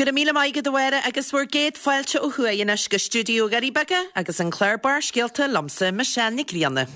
Go raibh míle maith agat a Mháire agus bhur gcéad fáilte ó thuaidh anois go stiúideo Dhoirí Beaga agus an clár Barrscéalta liomsa Michelle Nic Grianna.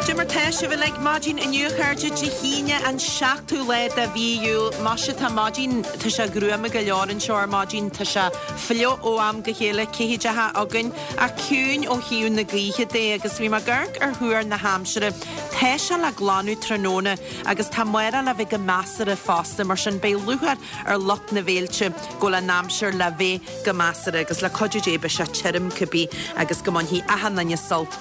Dé mar tá sibh uilig maidin inniu a chairde, Dé hAoine an 7ú lá de mhí Iúil. Maise tá maidin, tá sé gruama go leor anseo ar maidin, tá sé fliuch ó am go chéile, cithídeacha againn, ach ciúin ó thaobh na gaoithe de agus bhí mé ag amharc ar thuar na haimsire. Tá sé le glanadh tráthnóna agus tá amárach le bheith go measartha fosta, mar sin beidh lúcháir ar lucht na bhféilte go bhfuil an aimsir le bheith go measartha agus le cuidiú Dé beidh sé tirim cibé agus go mbainfidh achan duine sult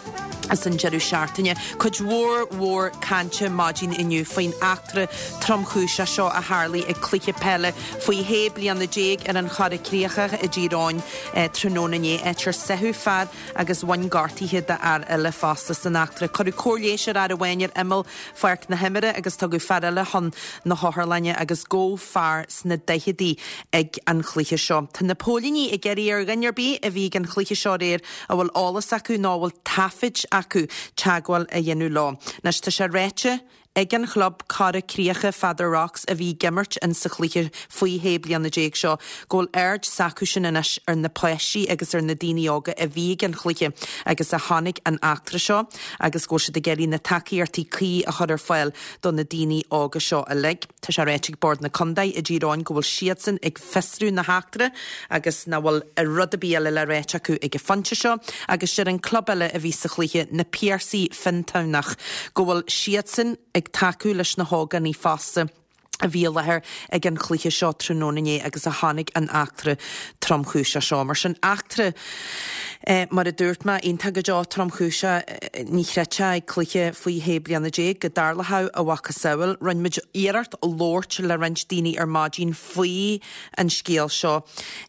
as an deireadh seachtaine. Cuid mhór mhór cainte maidin inniu faoin eachtra tromchúiseach seo a tharlaigh ag cluiche peile faoi 16 bliana ar an Chora Críochach i dTír Eoghain tráthnóna inné, áit ar sáitheadh fear agus bhain gortuithe d'fhear eile fosta san eachtra. Cuireadh cóir leighis ar fhear amháin ar imeall pháirc na himeartha agus tugadh fear eile chun na hotharlainne agus gabhadh fear sna daicheadaí ag an chluiche seo. Tá na póilíní ag iarraidh ar dhuine ar bith a bhí ag an chluiche seo aréir a bhfuil eolas acu nó a bhfuil taifid acu teagmháil a dhéanamh leo. Anois tá sé ráite ag an chlub Cora Críocha Feather Rocks a bhí ag imirt in sa chluiche faoi 16 bliana seo go bhfuil aird s'acusan anois ar na páistí agus ar na daoine óga a bhí ag an chluiche agus a chonaic an eachtra seo agus go bhfuil siad ag iarraidh na tacaíochtaí cuí a chur ar fáil do na daoine óga seo uilig. Tá sé ráite ag Bord na Contae i dTír Eoghain go bhfuil siadsan ag fiosrú na heachtra agus nach bhfuil rud ar bith eile le ráit acu ag an phointe seo agus deir an club eile a bhí sa chluiche, Na Piarsaigh Fionntamhnach, go bhfuil siadsan ag tacú leis na hógánaigh fosta a bhí i láthair ag an chluiche seo tráthnóna inné agus a chonaic an eachtra tromchúiseach seo. Mar sin, eachtra, mar a dúirt mé, iontach go deo tromchúiseach, ní chreidfeá ag cluiche faoi 16 bliana go dtarlódh a mhacasamhail. Rinne muid iarracht labhairt le roinnt daoine ar maidin faoi an scéal seo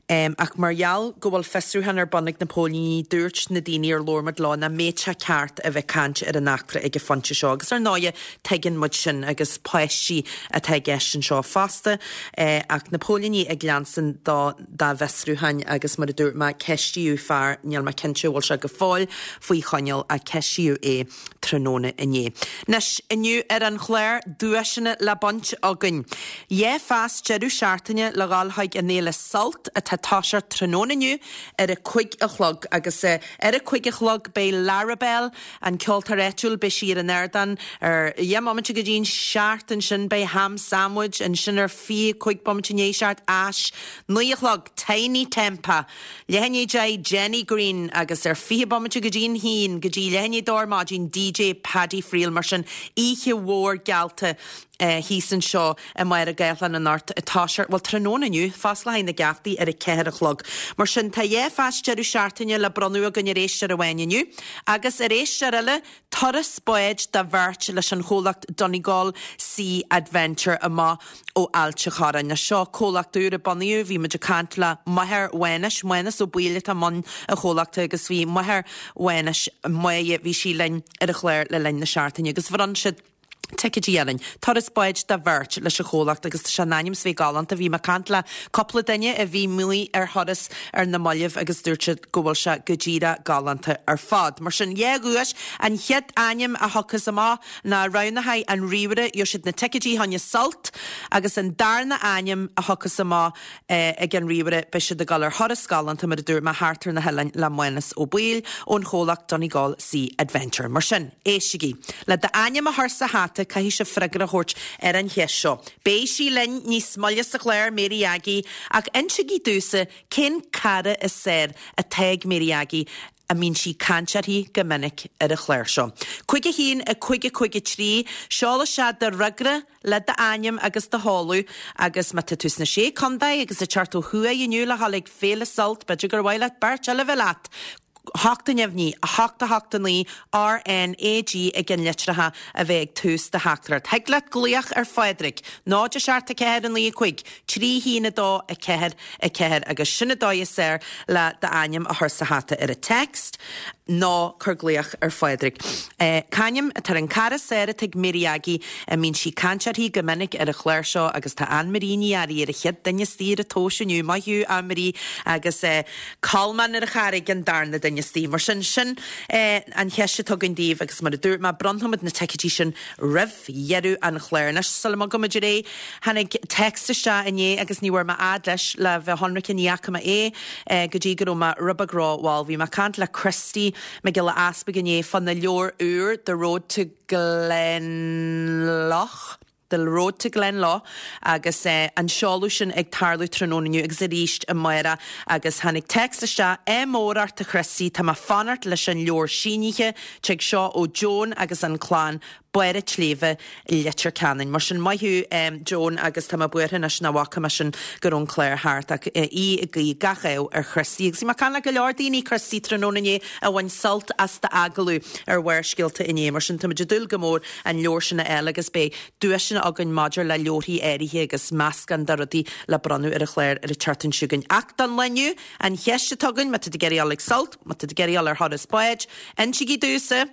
ach mar gheall go bhfuil fiosrúchán ar bun ag na póilíní, dúirt na daoine ar labhair muid leo nach mbeadh sé ceart a bheith ag caint ar an eachtra ag an phointe seo agus ar ndóighe tuigeann muid sin agus páistí atá i gceist anseo fosta ach na póilíní ag leanstan dá dá bhfiosrúcháin agus mar a dúirt mé ceistíodh fear, níl mé cinnte an bhfuil sé go fóill faoi choinneáil ach ceistíodh é tráthnóna inné. Anois, inniu ar an chlár, duaiseanna le baint againn. Dhá phas deireadh seachtaine le dhul chuig an fhéile Sult atá ag toiseacht tráthnóna inniu ar a cuig a chlog agus ar a cuig a chlog beidh Larabelle, an ceoltóir áitiúil, beidh sí ar an ardán ar dheich mbomaite go dtí'n seacht, ansin beidh Ham Sandwich, ansin ar 25 bomaite i ndiaidh seacht, Ash, 9 a chlog, Tinie Tempah, leath i ndiaidh deich, Jenny Greene agus ar 20 bomaite go dtí'n haon, go dtí leath i ndiaidh a dó ar maidin, DJ Paddy Friel. Mar sin, oíche mhór geallta thíos anseo i mBaile Gathlán anocht ag toiseacht, bhuel, tráthnóna inniu, fós le haghaidh na geaftaí ar a ceathair a chlog. Mar sin, tá dhá phas deireadh seachtaine le bronnadh againn ar éisteoir amháin inniu agus ar éisteoir eile, Turas báid do bheirt leis an chomhlacht Donegal Sea Adventure amach ó Ailt a' Chorráin. Anois seo comhlacht úr a bunaíodh, bhí muid ag caint le máthair Mhánais, Mánas Ó Baoill atá i mbun an chomhlachta agus bhí máthair Mhánais, Máire, bhí sí linn ar an chlár le linn na seachtaine agus bhronn siad ticéidí orainn. Turas báid do bheirt leis an chomhlacht agus tá sé in ainm is bheith galánta. Bhí mé ag caint le cúpla duine a bhí amuigh ar thuras ar na mallaibh agus dúirt siad go bhfuil sé go díreach galánta ar fad. Mar sin, dhá dhuais, an chéad ainm a thiocfas amach ná roghnóidh an ríomhaire, gheobhaidh siad na ticéidí choinne Sult agus an darna ainm a thiocfas amach ag an ríomhaire, beidh siad ag dul ar thuras galánta, mar a dúirt mé, thart ar na hoileáin le Mánas Ó Baoill ón chomhlacht Donegal Sea Adventure. Mar sin, éistigí. Le d'ainm a chur sa hata, caithfidh sibh freagra a thabhairt ar an cheist seo. Beidh sí linn níos moille sa chlár, Mary Aggie, ach insígí domhsa cén cara is fearr atá ag Mary Aggie a mbíonn sí ag caint uirthi go minic ar an chlár seo. 5 1 5 5 3, Seol isteach do fhreagra le d'ainm agus do sheoladh agus má tá tú sna Sé Contae agus ag teacht ó thuaidh inniu le dhul ag Féile Sult, b'fhéidir gur mhaith leat beirt eile bheith leat! 8 neamhní, 8 8 9, R N A G ag an litreacha a bheith ag tús do theachtaireacht. Thig leat glaoch ar Phádraig, 0 7 4 9 5 3 1 2 4 4 agus sin an dóigh is fearr le d'ainm a chur sa hata ar an text. Nó cuir glaoch ar Phádraig. C'ainm atá ar an cara saor atá ag Mary Aggie a mbíonn sí ag caint uirthi go minic ar an chlár seo agus tá Ann Marie Ní Fhearraigh ar an chéad duine istigh ar an tomhas inniu. Maith thú, Ann Marie agus Colmán ar an Charraig an darna duine istigh. Mar sin, sin an cheist atá againn daoibh agus mar a dúirt mé, bronnfaimid na ticéidí sin roimh dheireadh an chláir. Anois, sula mbogaimid ar aghaidh, tháinig text isteach inné agus ní bhfuair mé fhad leis, le bheith ionraic ní fhaca mé é go dtí go raibh mé rud beag rómhall. Bhí mé ag caint le Christy Mac Giolla Easpaig inné fá na leabhair úr, The Road to Glenlough, The Road to Glenlough agus an seoladh sin ag tarlú tráthnóna inniu agus arís amárach agus tháinig text isteach, Ádh mór ort a Christy, tá mé fanacht leis an leabhar sínithe, tig seo ó Joan agus an clann, Barr a' tSléibhe, Leitir Ceanainn. Mar sin, maith thú Joan agus tá mé buartha anois nach bhfaca mé sin go raibh an clár thart ach í ag guí gach ádh ar Christy. Agus bhí mé ag caint le go leor daoine, Christy, tráthnóna inné a bhain sult as d'agallamh ar Bharrscéalta inné. Mar sin, táimid ag dúil go mór an leabhar sin a fháil agus beidh duaiseanna againn maidir le leabharthaí áirithe agus meascán de rudaí le bronnadh ar an chlár ar an tseachtain seo chugainn. Ach don lá inniu, an cheist atá againn, má tá tú ag iarraidh dul ag Sult, má tá tú ag iarraidh dul ar thuras báid, insígí domhsa,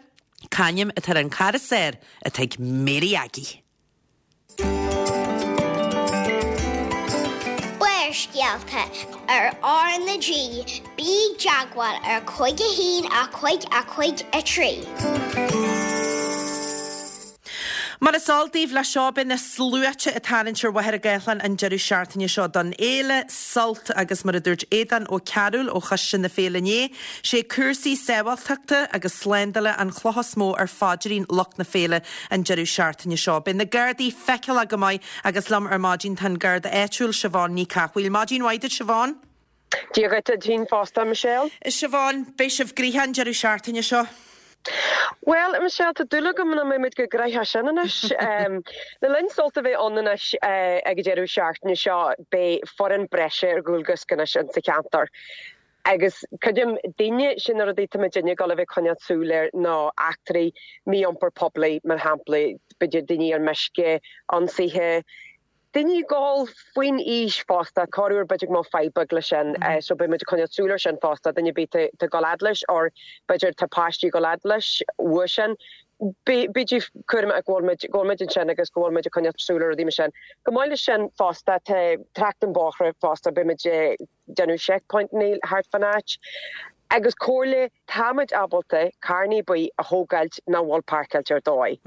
C'ainm atá ar an cara saor atá ag Mary Aggie? Barrscéalta ar R na G, bí i dteagmháil ar 5 1 5 5 3. Mar is eol daoibh, leis seo beidh na sluaite ag tarraingt ar Mhachaire Gathlán an deireadh seachtaine seo don fhéile Sult agus mar a dúirt Aodán Ó Cearúil ó Choiste na Féile inné, sé cúrsaí sábháilteachta agus slándála an chloch is mó ar phaidrín lucht na féile an deireadh seachtaine seo. Beidh na Gardaí feiceálach go maith agus liom ar maidin tá an Garda áitiúil Siobhán Ní Cathmhaoil. Maidin mhaith duit Siobhán. Dia dhuit duit féin fosta, a Michelle. Siobhán, beidh sibh gnoitheach an deireadh seachtaine seo. Bhuel, a Michelle, tá dúil agam nach mbeidh muid chomh gnoitheach sin anois. Le linn Sult a bheith ann anois ag an deireadh seachtaine seo, beidh foireann breise ar dhualgas anois insa cheantar. Agus creidim, daoine, sin na rudaí atá muidinne ag dul a bheith ag coinneáil súil air ná eachtraí mí-iompar poiblí, mar shampla, b'fhéidir daoine ar meisce, ionsaithe, daoine ag ól faoin aois fosta, corruair b'fhéidir go mbeadh fadhb beag leis sin, so beidh muid ag coinneáil súil air sin fosta, duine ar bith atá ag dul fhad leis or b'fhéidir tá páistí ag dul fhad leis uaidh sin, bígí cúramach go bhfuil muid, go bhfuil muid ansin agus go bhfuil muid ag coinneáil súil ar rudaí mar sin. Chomh maith leis sin fosta tá trácht an bóithre fosta, beidh muid ag déanamh checkpointanna thart fán áit agus comhairle, tá muid ábalta carrannaí buí a thógáilt nach bhfuil páirceáilte ar dóigh.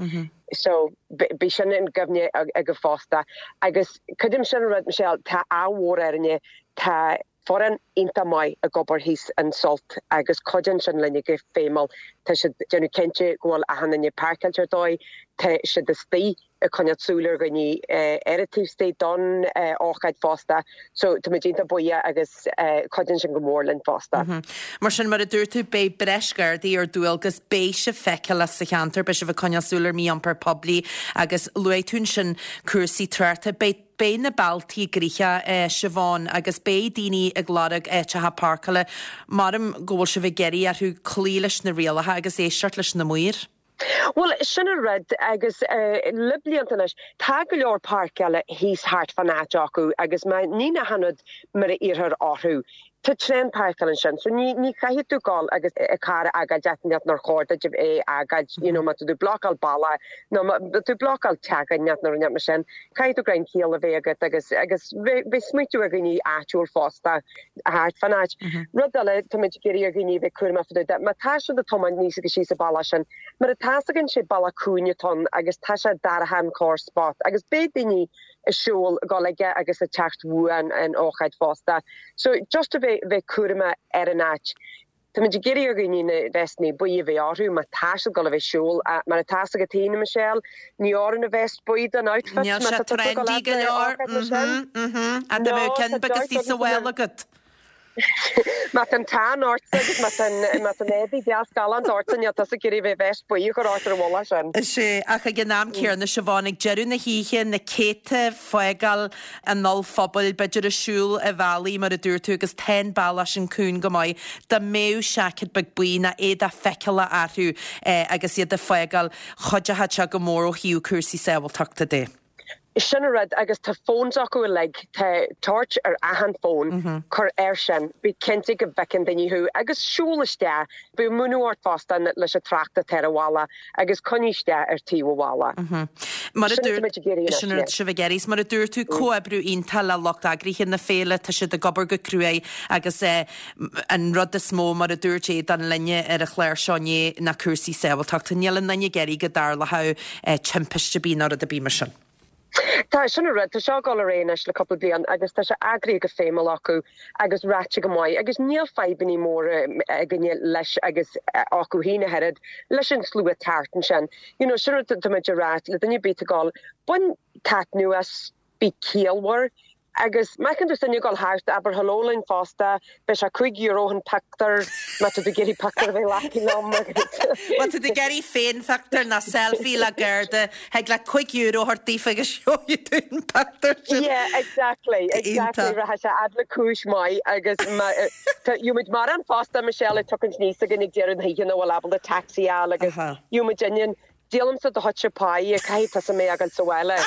So bíodh sin i gcuimhne agaibh fosta. Agus creidim sin an rud, Michelle, tá ádh mhór orainne, tá foireann iontach maith ag obair thíos in Sult agus cuidíonn sin linne go feidhmiúil. Tá siad ag déanamh cinnte go bhfuil achan duine páirceáilte ar dóigh, tá siad istigh ag coinneáil súil ar dhaoine ar an taobh istigh don ócáid fosta. So tá muid iontach buíoch agus cuidíonn sin go mór linn fosta. Mar sin, mar a dúirt tú, beidh breis Gardaí ar dualgas, beidh sibh feiceálach sa cheantar, beidh sibh ag coinneáil súil ar mhí-iompar poiblí agus luaigh tú ansin cúrsaí tráchta. Beidh beidh na bealtaí gnoitheach, Siobhán, agus beidh daoine ag lorg áiteacha páirceála. Maram go bhfuil sibh ag iarraidh orthu cloí leis na rialacha agus éisteacht leis na maoir. Bhuel, sin an rud, agus le blianta anois, tá go leor páirceála thíos thart fán áit acu agus má níonn achan rud mar a iarrthar orthu, tá tréan páirceáil ansin, so ní ní chaithfidh tú dul agus carr a fhágáil áit inteacht nár chóir duit é a fhágáilt, you know, má tá tú blocáil bealach nó má tá tú blocáil teach inteacht nó rud inteacht mar sin, caithfidh tú greim ciall a bheith agat agus agus bheith bheith smaoitiú ar dhaoine áitiúil fosta. thart fán áit. Rud eile, tá muid ag iarraidh ar dhaoine a bheith cúramach fá dtaobh de, má tá siad ag tiomáint aníos agus síos an bealach sin, mar atá 's againn sé bealach cúinge atá ann agus tá sé dorcha an corr spot agus beidh daoine ag siúl ag dul aige agus ag teacht uaidh an ócáid fosta. So just a bheith bheith cúramach ar an áit. Tá muid ag iarraidh ar dhaoine na vestannaí buí a bheith orthu má tá siad ag dul a bheith ag siúl. Mar atá 's agat féin, a Michelle, ní oireann an vest buí don outfit Níl má sé tá tusa ag dul trendy fhad go le leor. ócáid mar sin. Mhm, mhm. Ach dá No, mbeadh tá ceann beag dearc istigh sa agamsa mhála agat. Má tá an tan ortsa agus má tá an má tá an éadaí deas galánta ortsa, níl tusa ag iarraidh a bheith vest buí a chur ort ar an mhullach sin. Sea, ach ag an am céanna, Siobhán, ag deireadh na hoíche, na céadta ag fágáil an ollphubaill, b'fhéidir ag siúl an bhealaigh mar a dúirt tú agus tá an bealach sin cúng go maith, dá mbeadh seaicéad beag buí nó éadach feiceálach orthu agus iad ag fágáil, chuideodh sé go mór ó thaobh cúrsaí sábháilteachta de. Sin an rud agus tá phones acu uilig, tá torch ar achan phone, cuir air sin, bí cinnte go bhfeiceann daoine thú agus siúl isteach, bíodh múineadh ort fosta leis an trácht atá ar an bhalla agus coinnigh isteach ar taobh an bhalla. Mar a Sin dúirt, ag sin an rud sibh ag iarraidh. Mar a dúirt tú, comhoibriú iontach le lucht eagraithe na féile, tá siad ag obair go cruaidh agus an rud is mó, mar a dúirt Aodán linne ar an chlár seo inné, ná cúrsaí sábháilteachta. Níl aon duine ag iarraidh go dtarlódh timpiste ar bith ná rud ar bith mar sin. Tá, sin an rud. Tá seo ag dul ar aghaidh anois le cúpla bliain agus tá sé eagraithe go feidhmiúil acu agus ráite go maith agus níl fadhbannaí móra againne leis agus acu féin ach oiread leis an slua thart ansin. You know, sin rud tá muid a rá le duine ar bith ag dul, bain taitneamh as, bí ciallmhar Agus má fheiceann tú duine ag dul thart, abair hello linn fosta, beidh sé €5 an pictiúr má tá tú ag iarraidh pictiúr a bheith glactha liom agus. Má tá tú ag iarraidh féinphictiúr nó selfie le Garda, thig leat €5 a thabhairt daofa agus gheobhaidh tú an pictiúr sin. Yeah, exactly, exactly, Iontach. rachaidh sé fhad le cúis maith agus má, tá, gheobhaimid mórán fosta, Michelle, ag tiocfaint aníos againn ag deireadh na hoíche nach bhfuil ábalta taxi a fháil agus Aha. gheobhaimid inniu Díolaimse do chuidse pie, caithfidh tusa mé a fhágáil sa bhaile.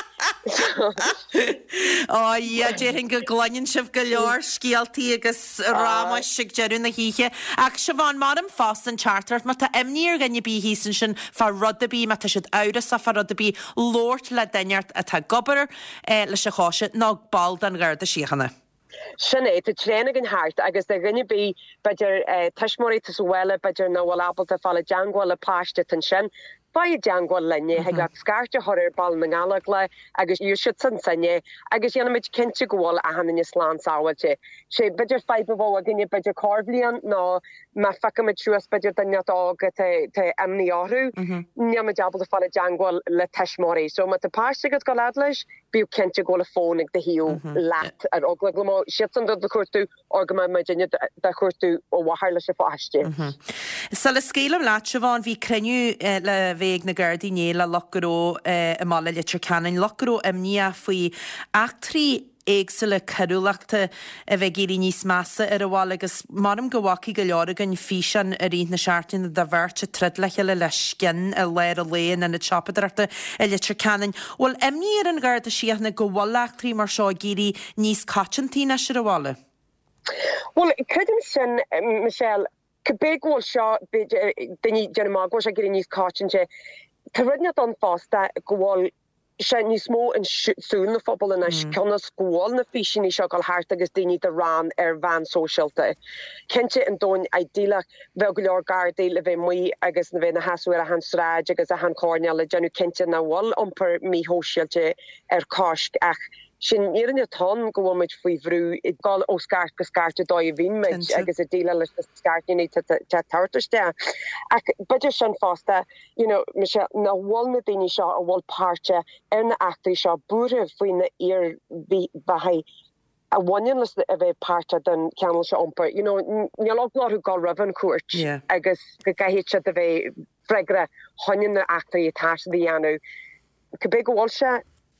Ó a Dhia, déarfainn go gcluineann sibh go leor scéaltaí agus rámais ag deireadh na hoíche. Ach Siobhán, maram fosta an teachtaireacht, má tá imní ar dhuine ar bith thíos ansin fá rud ar bith, má tá siad amhrasach fá rud ar bith, labhairt le duine atá ag obair leis an choiste nó ball den Gharda Síochána. Sin é, tá traein againn thart agus do dhuine ar bith, b'fhéidir tuismitheoirí atá sa bhaile, b'fhéidir nach bhfuil ábalta fáil i dteangmháil le páiste atá ansin, faigh i dteangmháil linne, thig leat scairt a chur ar Baile na nGallóglach agus gheobhaidh siadsan sinne agus déanfaimid cinnte go bhfuil achan duine slán sábháilte. Sé b'fhéidir fadhb a bheadh againne b'fhéidir corrbhliain ná má phiocfaimid suas b'fhéidir duine óg atá tá imní orthu, níl muid ábalta fáil i dteangmháil le tuismitheoirí. So má tá páiste agat ag dul fhad leis, Bíodh cinnte go bhfuil a fón ag do thaobh leat ar eagla go mbeadh siadsan do do chuartú or go mbeidh muidinne do chuartú ó mháthair leis an pháiste. Sula scaoilim leat, Siobhán, bhí cruinniú le bheith ag na Gardaí inné le lucht gnó i mbaile Leitir Ceanainn, lucht gnó imníoch faoi eachtraí éagsúla coiriúlachta a bheith ag éirí níos measa ar an bhaile agus maram go bhfacaidh go leor againn físeán i rith na seachtaine de bheirt ag troid le chéile le scian i lár an lae in ionad siopadóireachta i Leitir Ceanainn. Bhfuil imní ar an Gharda Síochána go bhfuil eachtraí mar seo ag éirí níos coitianta anois ar an bhaile? Bhuel, creidim sin, Michelle. Cibé go bhfuil seo, b'fhéidir, daoine ag déanamh amach go bhfuil sé ag éirí níos coitianta, tá rud inteacht ann fosta go bhfuil sé níos mó i súil na phobal anois cionn is go bhfuil na físeanna seo ag dul thart agus daoine do rann ar mheán sóisialta. Cinnte in domhan idéalach bheadh go leor Gardaí le bheith amuigh agus le bheith ina sheasamh ar achan sráid agus achan choirnéal ag déanamh cinnte nach bhfuil iompar míshóisialta ar coisc ach sin an fhírinne atá ann go bhfuil muid faoi bhrú ag dul ó scairt go scairt an dóigh a bhíonn muid agus ag déileáil leis na scairteanna atá ag tabhairt isteach. Ach b'fhéidir sin fosta you know, Michelle, nach bhfuil na daoine seo a bhfuil páirteach ar na eachtraí seo buartha faoi na iarmhairtí a bhaineann leis a bheith páirteach den cheangal seo iompair. You know, níl eagla orthu dul roimh an chúirt yeah. agus go gcaithfidh siad a bheith freagrach choinne na eachtraí atá siad a dhéanamh. Cibé go bhfuil sé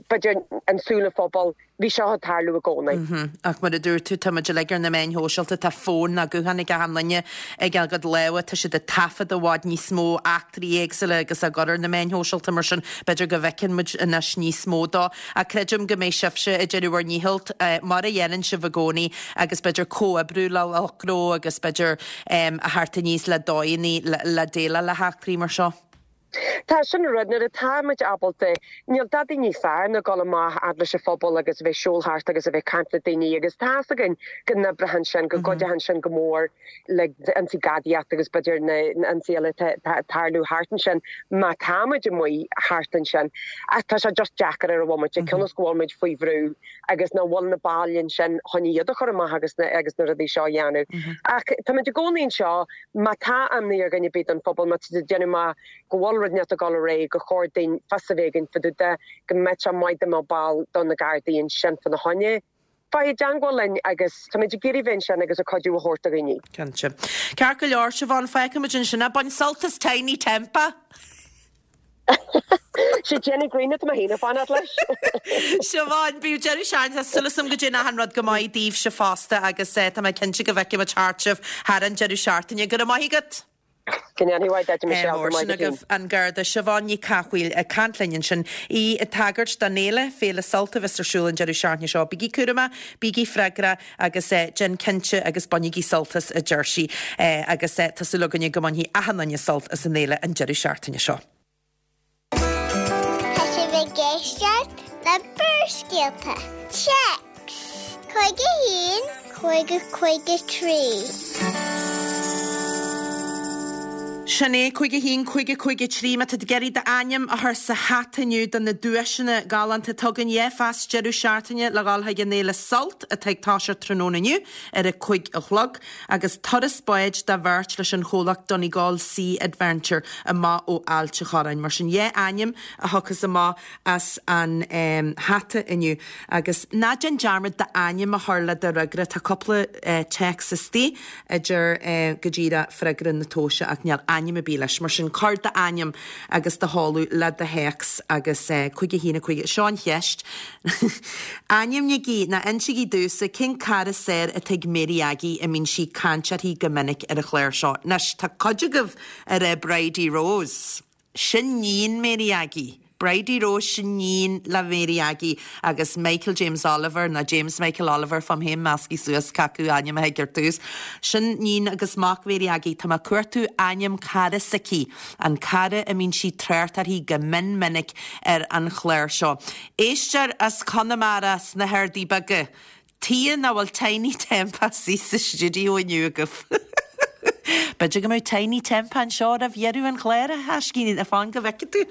b'fhéidir i súil an phobail, bhí seo ag tarlú i gcónaí. Ach mar a dúirt tú, tá muid uilig ar na meáin shóisialta, tá fón nó guthán ag achan duine ag a gcuid lámha, tá siad ag taifead i bhfad níos mó eachtraí éagsúla agus á gcur ar na meáin shóisialta mar sin b'fhéidir go bhfeiceann muid anois níos mó dó. Ach creidim go mbeidh sibhse ag déanamh bhur ndícheall, mar a dhéanann sibh i gcónaí agus b'fhéidir comhoibriú le lucht gnó agus b'fhéidir a theacht aníos le dóigheanna le déileáil le heachtraí mar seo. Tá, sin an rud, nuair atá muid ábalta, níl dadaí níos fearr ná dul amach fhad leis an phobal agus a bheith ag siúl thart agus a bheith ag caint le daoine agus tá's againn go n-oibreoidh sin, go gcuideoidh sin go mór le ionsaí gadaíochta agus b'fhéidir na ionsaí eile atá ag tarlú thart ansin má tá muid amuigh thart ansin. Ach tá sé just deacair ar an bhomaite, cionn is go bhfuil muid faoi bhrú agus nach bhfuil na baill ansin chun iad a chur amach agus na agus na rudaí seo a dhéanamh. Ach tá muid i gcónaí anseo Má tá imní ar dhuine ar bith don phobal, má tá siad ag déanamh amach go bhfuil rud inteacht ag dul ar aghaidh, gur chóir dúinn fios a bheith againn fá dtaobh de, go mbeadh sé maith dá mbeadh ball do na Gardaí ansin fá na choinne. Faigh i dteangmháil linn agus táimid ag iarraidh bheith ansin agus ag cuidiú a thabhairt do dhaoine. Cinnte. Ceart go leor, Siobhán, fágfaimid ansin é. Bain sult as Tinie Tempah! Sé Jenny Green atá mé féin ag fanacht leis. Siobhán, bíodh deireadh seachtaine, tá súil agam go dtéann achan rud go maith daoibhse fosta agus tá mé cinnte go bhfeicfidh muid thart sibh thar an deireadh seachtaine. Go raibh maith agat! Go ndéanfaidh mhaith duit, a Michelle, go Mór maith sin duit féin. agaibh an Garda Siobhán Ní Cathmhaoil ag caint linn ansin, í ag tagairt don fhéile, Féile Sult a bheas ar siúl an deireadh seachtaine seo. Bígí cúramach, bígí freagrach agus déan cinnte agus bainigí sult as, a deir sí. Agus tá súil againne go mbainfidh achan duine sult as an fhéile an deireadh seachtaine seo. Tá sibh ag éisteacht le Barrscéalta. Téacs 51 50 53. Sin é, 51 50 53, má tá tú ag iarraidh d'ainm a chur sa hata inniu do na duaiseanna galánta atá againn, 2 phas deireadh seachtaine le dhul chuig an fhéile Sult atá ag toiseacht tráthnóna inniu ar a 5 a chlog. agus turas báid do bheirt leis an chomhlacht Donegal Sea Adventure amach ó Ailt a' Chorráin. Mar sin, 2 ainm a thiocfas amach as an hata inniu. Agus ná déan dearmad d'ainm a chur le do fhreagra. Tá cúpla téacs istigh a deir go díreach freagra na tomhaise ach níl ainm ar bith leis. Mar sin, cuir d'ainm agus do sheoladh le do théacs agus 5 1 5. Seo an cheist. Ainmnígí, nó insígí domhsa, cén cara saor atá ag Mary Aggie a mbíonn sí ag caint uirthi go minic ar an chlár seo. Anois, tá cuid agaibh ag rá Bridie Rose. Sin níon Mary Aggie. Bridie Rose, sin níon le Mary Aggie agus Michael James Oliver, nó James Michael Oliver, faighim féin measctha suas cé acu ainm a thig ar tús. Sin níon agus mac Mhary Aggie. Tá mé ag cuartú ainm cara s'aici. An cara a mbíonn sí ag trácht uirthi go mion minic ar an chlár seo. Éisteoir as Conamara sna hArdaí Beaga. Tuige nach bhfuil Tinie Tempah sa stiúideo inniu agaibh? B'fhéidir go mbeidh Tinie Tempah anseo roimh dheireadh an chláir, a thaiscín, fan go bhfeicfidh tú,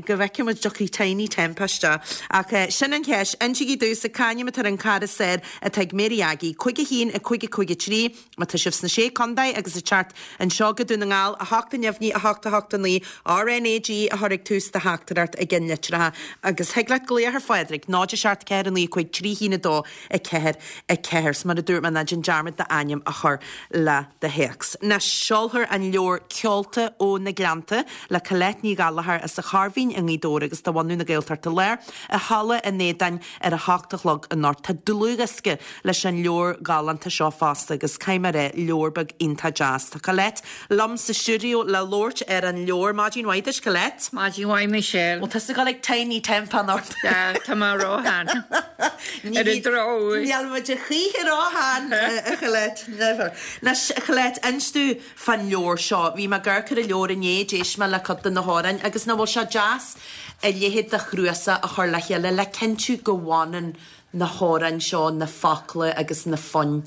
go bhfeicfidh muid dtiocfaidh Tinie Tempah isteach. Ach sin an cheist, insígí domhsa c'ainm atá ar an cara saor atá ag Mary Aggie, 5 1 5 5 3. Má tá sibh sna Sé Contae agus ag teacht anseo go Dún na nGall, 8 neamhní 8 8 9, RnaG a chur ag tús do theachtaireacht i gceannlitreacha agus thig leat glaoch ar Phádraig, 0 7 4 9 5 3 1 2 4 4. 'S mar a dúirt mé, ná déan dearmad d'ainm a chur le do théacs. Anois, seolfar an leabhar Ceolta ó na Gleannta le Colette Ní Ghallchóir as an Chairbhín i nGaoth Dobhair agus de bhunadh na Gaeltachta Láir i Halla an Aodáin ar a hocht a chlog anocht. Tá dlúthdhiosca leis an leabhar galánta seo fosta agus caithfidh mé a rá, leabhar beag iontach deas. Tá Colette liom sa stiúideo le labhairt ar an leabhar. Maidin mhaith duit, Colette. Maidin mhaith, Michelle. Bhfuil tusa ag dul ag Tinie Tempah anocht? Tá mé róshean. Ar an drochuair. Níl muid a choíche róshean, a Cholette. Never. Anois, a Cholette, inis domh fán leabhar seo. Bhí mé ag amharc ar an leabhar inné, d'éist mé le cuid de na hamhráin agus nach bhfuil sé deas a leithéid de chnuasach a chur le chéile le cinntiú go bhfanann na hamhráin seo, na focla agus na foinn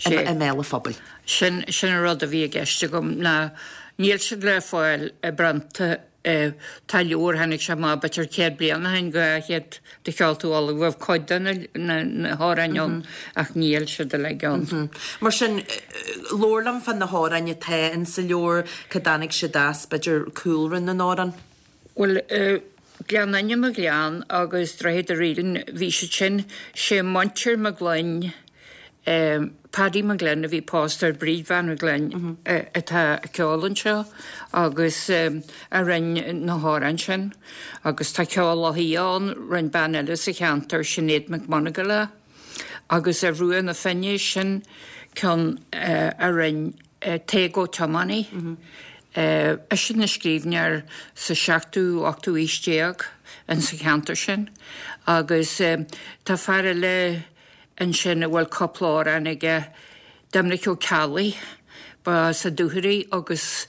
i mbéal an phobail. Sin, sin an rud a bhí i gceist agam ná níl siad le fáil i bprionta. Tá leabhar, tháinig sé amach b'fhéidir 100 bliain ó shin, 200 de Cheolta Uladh, bheadh cuid de na hamhráin ann ach níl siad uilig ann. Mar sin, labhair liom fá na hamhráin atá in sa leabhar, cá dtáinig siad as, b'fhéidir cúlra na n-amhrán. Bhuel, Gleann Fhinne mo Ghleann agus Droichead a' Reeling, bhí siad sin, sé muintir McGloinn, Paddy McGlynn a bhí pósta ar Bríd Bhean McGlynn atá ag ceol anseo agus a rinn na hamhráin sin. Agus tá Ceol Loch Lao ann, rinn bean eile sa cheantar, Sinéad McMonagle é. Agus ar Bhruach na Finne, sin ceann a rinn Tadhg Ó Tiománaí. Eisean a scríbhneoir sa seachtú, ochtú aois déag insa cheantar sin. Agus tá fear eile ansin a bhfuil cúpla amhrán aige, Doimnic Ó Ceallaigh, ba as an Dúchoraidh agus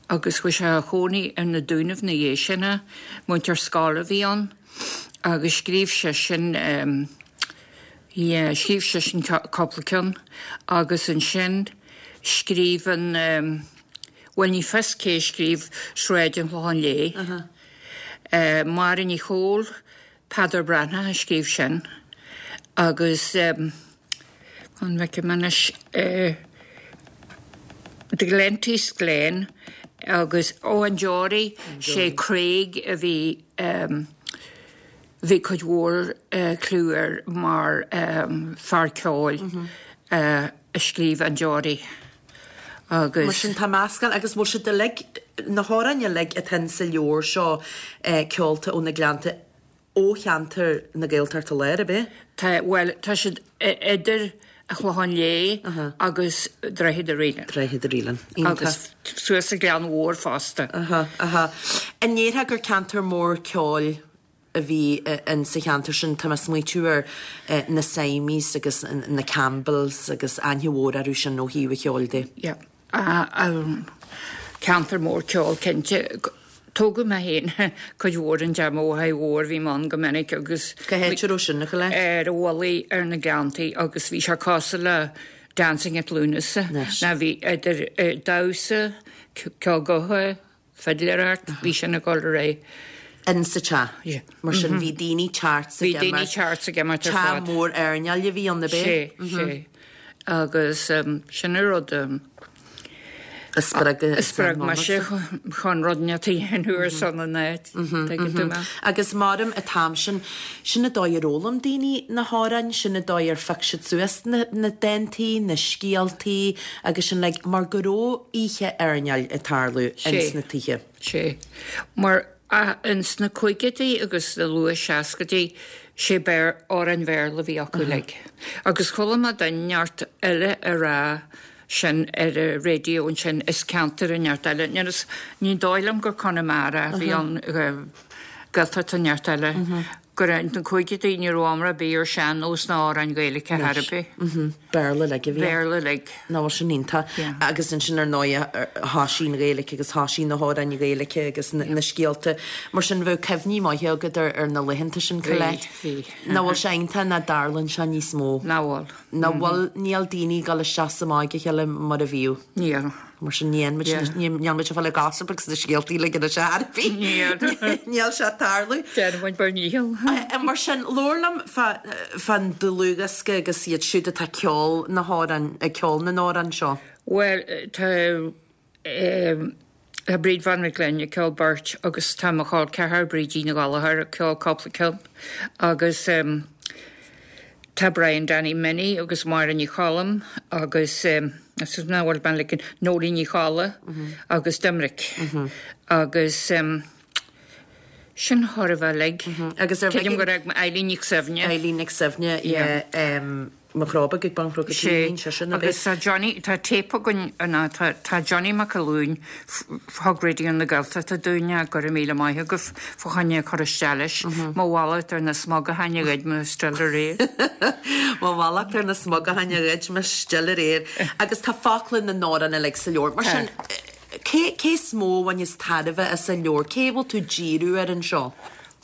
agus chuaigh sé a chónaí ar na Dúnaibh ina dhiaidh sin é. Múinteoir scoile a bhí ann agus scríobh seisean, yeah, scríobh seisean cúpla ceann agus ansin scríobh an, bhuel ní fios cé a scríobh Sráid an Chlocháin Léith, Máire Ní Chomhaill, Peadar Breathnach a scríobh sin agus an bhfeicfidh mé anois The Glenties Glen agus ó An Deoraí, sé Craig a bhí bhí cuid mhór clú air mar fear ceoil a scríobh An Deoraí agus. Mar sin tá meascán agus bhfuil siad uilig, na hamhráin uilig atá in sa leabhar seo Ceolta ó na Gleannta ó cheantar na Gaeltachta Láir, ab é? Tá, bhuel tá siad idir. An Chlocháin Léith agus Droichead a' Raoileann. Droichead a' Raoileann. Iontach. Agus suas an Gleann Mhór fosta. Aha, aha. An ndéarfá gur ceantar mór ceoil a bhí in sa cheantar sin? Tá mé ag smaoitiú ar na Symies agus na Campbells agus aithne mhór orthu sin ó thaobh an cheoil de. Yeah. Ceantar mór ceoil cinnte. Tógadh mé féin cuid mhór in dteach mo mháthair mhór, bhí mé ann go minic agus. Cá háit a raibh sin, a Cholette? Ar an Mhullaigh ar na Gleanntaí agus bhí sé cosúil le Dancing at Lughnasa. Ná bhí idir damhsa, ceol gutha, fidléireacht, bhí sin ag dul ar aghaidh. In sa teach. Yeah. Mar sin bhí daoine teacht 's ag imeacht. Bhí daoine teacht 's ag imeacht ar fad. Teach mór airneáil a bhí ann, ab é? Sé, sé. Agus sin an rud a spreag a spreag mise chun rud inteacht a dhéanamh ar son an áit, tuigeann tú mé. Agus maram an t-am sin, sin an dóigh ar fhoghlaim daoine na hamhráin, sin an dóigh ar phioc siad suas na na dántaí, na scéaltaí agus sin like, mar go raibh oíche airneáil ag tarlú ins na tithe. Sé. Mar ins na caogaidí agus na luath seascaidí, sé Béar, amhráin Bhéarla a bhí acu uilig. Agus chuala mé duine inteacht eile ag rá sin ar an raidió ansin, is ceantar inteacht eile. Níl fhios, ní dóigh liom gur Conamara a bhí ann, Gaeltacht inteacht eile. Gur ins na caogaidí ní raibh iomrá ar bith ar sean-nós ná amhráin Ghaeilge ar chor ar bith. Béarla uilig a bhí ann. Béarla uilig. Nach bhfuil sin iontach. Agus ansin ar ndóighe thoisigh an Ghaeilge agus thoisigh na hamhráin Ghaeilge agus na scéalta. Mar sin bheadh cuimhní maithe agat ar na laethanta sin, Colette. Bhí, bhí. Nach bhfuil sé iontach nach dtarlaíonn sé níos mó. Nach bhfuil. Nach bhfuil, níl daoine ag dul isteach 's amach ag a chéile mar a bhíodh. Níl. Mar sin ní dhéanfaimid, níl muid ag fáil gossip agus na scéaltaí uilig anois ar bith. Níl. Níl sé ag tarlú. Déanfaidh muid bhur ndícheall. Mar sin, labhair liom fán dlúthdhiosca agus iad siúd atá ag ceol na hamhráin, ag ceol na n-amhrán seo. Bhuel, tá tá Bríd Bhán Mhic Gloinn ag ceol beirt agus tá mo chol ceathar, Brídín Ní Ghallchóir, ag ceol cúpla ceann agus tá Brian Danny Minnie agus Máire Ní Choilm agus nach bhfuil mé like Nóilín Ní Cholla agus Doimnic agus sin chóir a bheith uilig. Agus ar Creidim gur ag Eileen Nic Suibhne. Eileen Nic Suibhne, yeah. Mo chróbag ag baint rud go Sé, cinn, sé sin a bheith. agus tá Johnny, tá téip againn, ná tá, tá Johnny Mac Fhionn, thug Raidió na Gaeltachta dúinn é, go raibh míle maith agaibh fá choinne cur isteach leis. Mo mhallacht ar na smugachain a ghoid mo still aréir. Mo mhallacht ar na smugachain a ghoid mo still aréir. Agus tá focla na n-amhrán uilig sa leabhar. Mar sin, cé, cé is mó a bhaineas tairbhe as an leabhar? Cé a bhfuil tú ag díriú air anseo?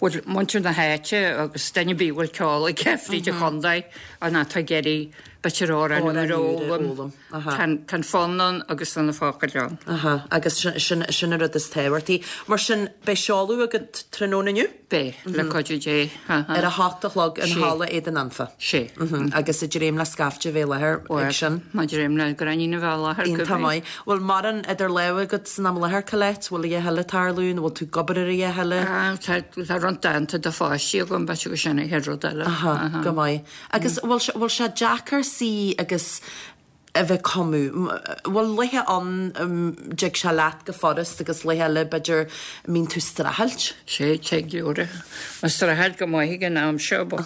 Bhuel, muintir na háite agus duine ar bith a bhfuil ceol aige fríd an chontae an atá ag iarraidh b'fhéidir amhrán úr a fhoghlaim. Tá an fonn ann agus tá na focail ann. Aha, agus sin sin an rud is tábhachtaí. Mar sin, beidh seoladh agat tráthnóna inniu? Beidh, le cuidiú Dé. Ar a hocht a chlog in Halla Éadan Anfa. Sé. Agus ag dréim le scaifte a bheith i láthair ag sin. Bhuel, má dréim le gráinnín a bheith i láthair, Iontach maith. Bhfuil mórán idir lámha agat san am i láthair, Colette? Bhfuil a dhath eile ag tarlú nó bhfuil tú ag obair ar a dhath eile? Tá, tá roinnt dánta do pháistí agam, b'fhéidir gur sin an chéad rud eile. Aha, go maith. Agus bhfuil sé, bhfuil sé deacair suí agus a bheith ag cumadh? Bhfuil laethe ann a dtig sé leat go furast agus laethe eile b'fhéidir a mbíonn tú ag streachailt? Sé, tig leor. Ag streachailt go maith ag an am seo, but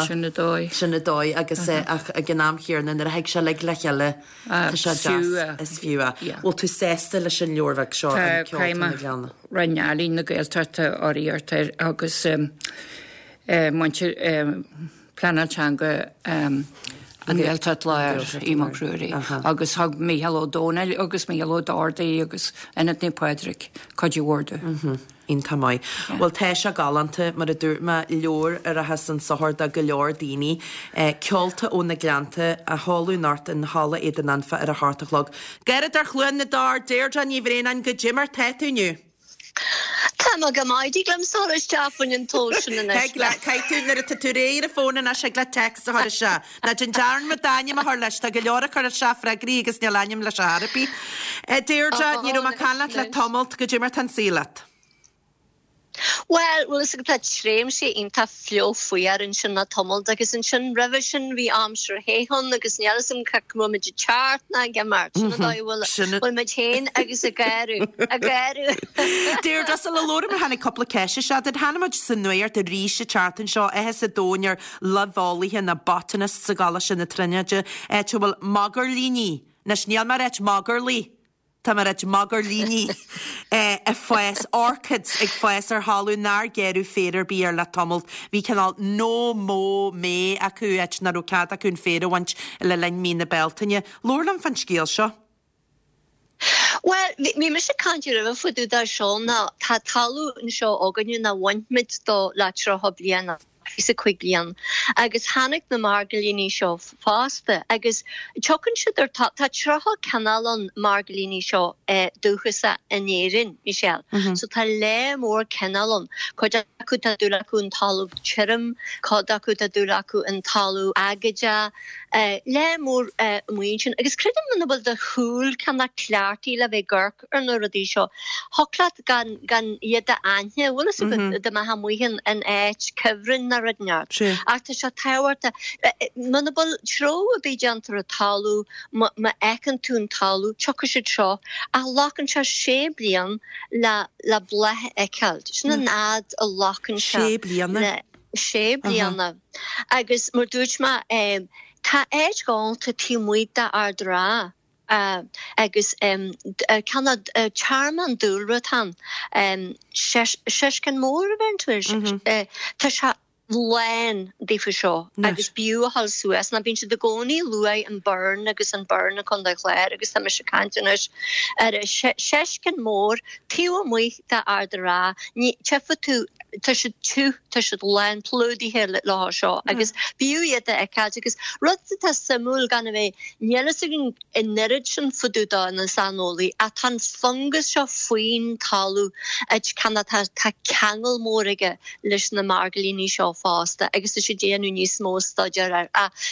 sin an dóigh. Sin an dóigh agus ach ag an am chéanna nuair a thig sé uilig le chéile, Tá sé deas, is fiú é. Bhfuil tú sásta leis an leabhar bheag seo, An Ceol Tá na Gleanna? Roinn Ealaíon na Gaeltachta urraíocht air agus muintir Pleanáil Teanga An Ghaeltacht Láir, Aodh Mac Ruairí, agus thug Mícheál Ó Domhnaill agus Mícheál Ó Dordaí agus Ionad Naomh Pádraig cuid mhór de. Iontach maith. Bhuel, tá sé galánta, mar a dúirt mé, leabhar a rachas chun sochair do go leor daoine. Ceolta ó na Gleannta, á sheoladh anocht in Halla Éadan Anfa ar a hocht a chlog. Gairid ar Chluain na dTor, Deirdre Ní Bhraonáin, goidé mar tá tú inniu? Tá mé go maith, dtig liom dul isteach faoin an tsó sin anois. Thig leat, caithfidh tú, nuair atá tú réidh ar an bhfón anois, thig leat text a chur isteach. Ná déan dearmad d'ainm a chur leis, tá go leor ag cur isteach freagraí agus níl ainm leis ar chor ar bith. Deirdre, ní raibh mé ag caint leat le tamalt, goidé mar tá an saol leat? Bhuel, bhfuil fhios agat, tá tréimhse iontach fliuch fuar ansin le tamalt agus ansin roimhe sin bhí aimsir the ann agus níl fhios agam cá bhfuil muid ag teacht ná ag imeacht. Sin an dóigh a bhfuil Sin bhfuil muid féin agus ag gáire, ag gáire. Deirdre, sula labhraíonn muid tháinig cúpla ceist isteach duit. Tháinig muid sa nuacht arís an tseachtain seo, áthas an domhain ar luibheolaithe na botanists i gColáiste na Tríonóide, áit a bhfuil magairlíní, anois níl mé ag ráit magairlí, Tá mé ag ráit magairlíní ag fás, orchids ag fás ar thalamh nár gearradh féar ar bith air le tamalt. Bhí cineál No Mow May acu, áit nach raibh cead acu an féar a bhaint le linn mí na Bealtaine. Labhair liom fán scéal seo. Bhuel, bhí mise ag caint roimhe fá dtaobh de seo ná tá talamh anseo againne nár bhain muid dó le 30 bliain. 25 bliain agus tháinig na magairlíní seo fosta agus tiocfaidh siad ar tá tá 30 cineál ann magairlíní seo dúchasach in Éirinn, Michelle. So tá lear mór cineál ann. Cuid acu tá dúil acu in talamh tirim, cuid acu tá dúil acu in talamh aigéadach, lear mór amuigh ansin. Agus creidim muna bhfuil do shúil cineál cleachtaithe le bheith ag amharc ar na rudaí seo. Thiocfadh leat gan gan iad a aithne, bhfuil fhios agat, dá mbeifeá amuigh in in áit cuibhrinn nó rud inteacht. Ach tá sé tábhachtach. Muna bhfuil treabhadh ar bith déanta ar an talamh, má má fheiceann tú an talamh, tiocfaidh siad seo. Ach glacann sé sé bliain le le bláth a fheiceáil. Sin an fhad a ghlacann sé. Sé bliana? Le sé bliana. Agus mar dúirt mé, tá áit ghalánta taobh amuigh d'Ard an Rátha. Agus cineál tearmann dúlra atá ann. Seisceann Mór a bheireann tú air. Tá sé lán daofa seo agus b'fhiú a dhul suas ná bíonn siad i gcónaí ag luaigh an Burren agus an Burren i Contae an Chláir agus tá mise ag caint anois ar an Seisceann Mór taobh amuigh d'Ard an Rátha. Ní tchífidh tú, tá siad tiubh, tá siad lán plódaithe leo seo agus b'fhiú iad a fheiceáilt agus rud atá suimiúil gan a bheith, níl fhios againn an oiread sin fá dtaobh dó na saineolaí ach tá an fungas seo faoin talamh cineál tá tá ceangal mór aige leis na magairlíní seo fosta agus tá siad ag déanamh níos mó staidéir air ach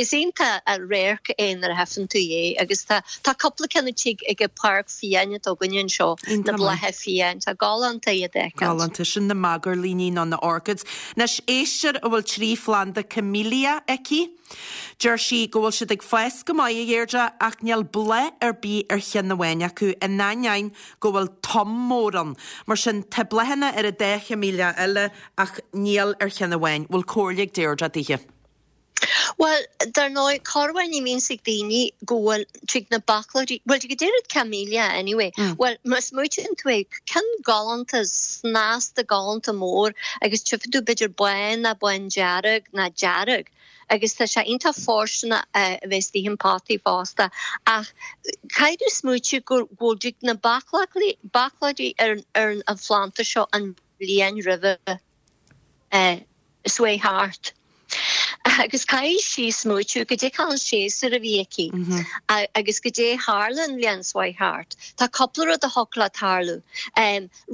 is iontach an radharc é nuair a tchífeann tú é agus tá tá cúpla ceann istigh ag an páirc fiáin atá againne anseo, na blátha fiáin. Tá galánta iad a fheiceáilt. Galánta. Sin na magairlíní nó na orchids. Anois, éisteoir a bhfuil 3 phlanda camellia aici. Deir sí go bhfuil siad ag fás go maith, a Dheirdre, ach níl bláth ar bith ar cheann amháin acu, in ainneoin go bhfuil tom mór ann. Mar sin, tá bláthanna ar an dá chamellia eile ach níl ar cheann amháin. Bhfuil comhairle ag Deirdre daoithe? Bhuel, dar ndóigh, corruair ní bhíonns ag daoine go bhfuil, tig na bachlóidí, bhuel, tig an oiread camellia anyway, bhuel, má smaoitíonn tú é, ceann galánta, snasta galánta mór agus tchífidh tú b'fhéidir bán ná bándearg ná dearg agus tá sé iontach fóirsteanach a bheith istigh in potaí fosta ach caithfidh tú smaoitiú go bhfuil dtig na bachlóidí, bachlóidí ar ar an phlanda seo an bhliain roimhe. Is uaidh thart. Agus caithfidh sí smaoitiú goidé an séasúr a bhí aici agus goidé a tharla an bhliain seo chuaigh thart. Tá cúpla rud a thiocfadh le tarlú.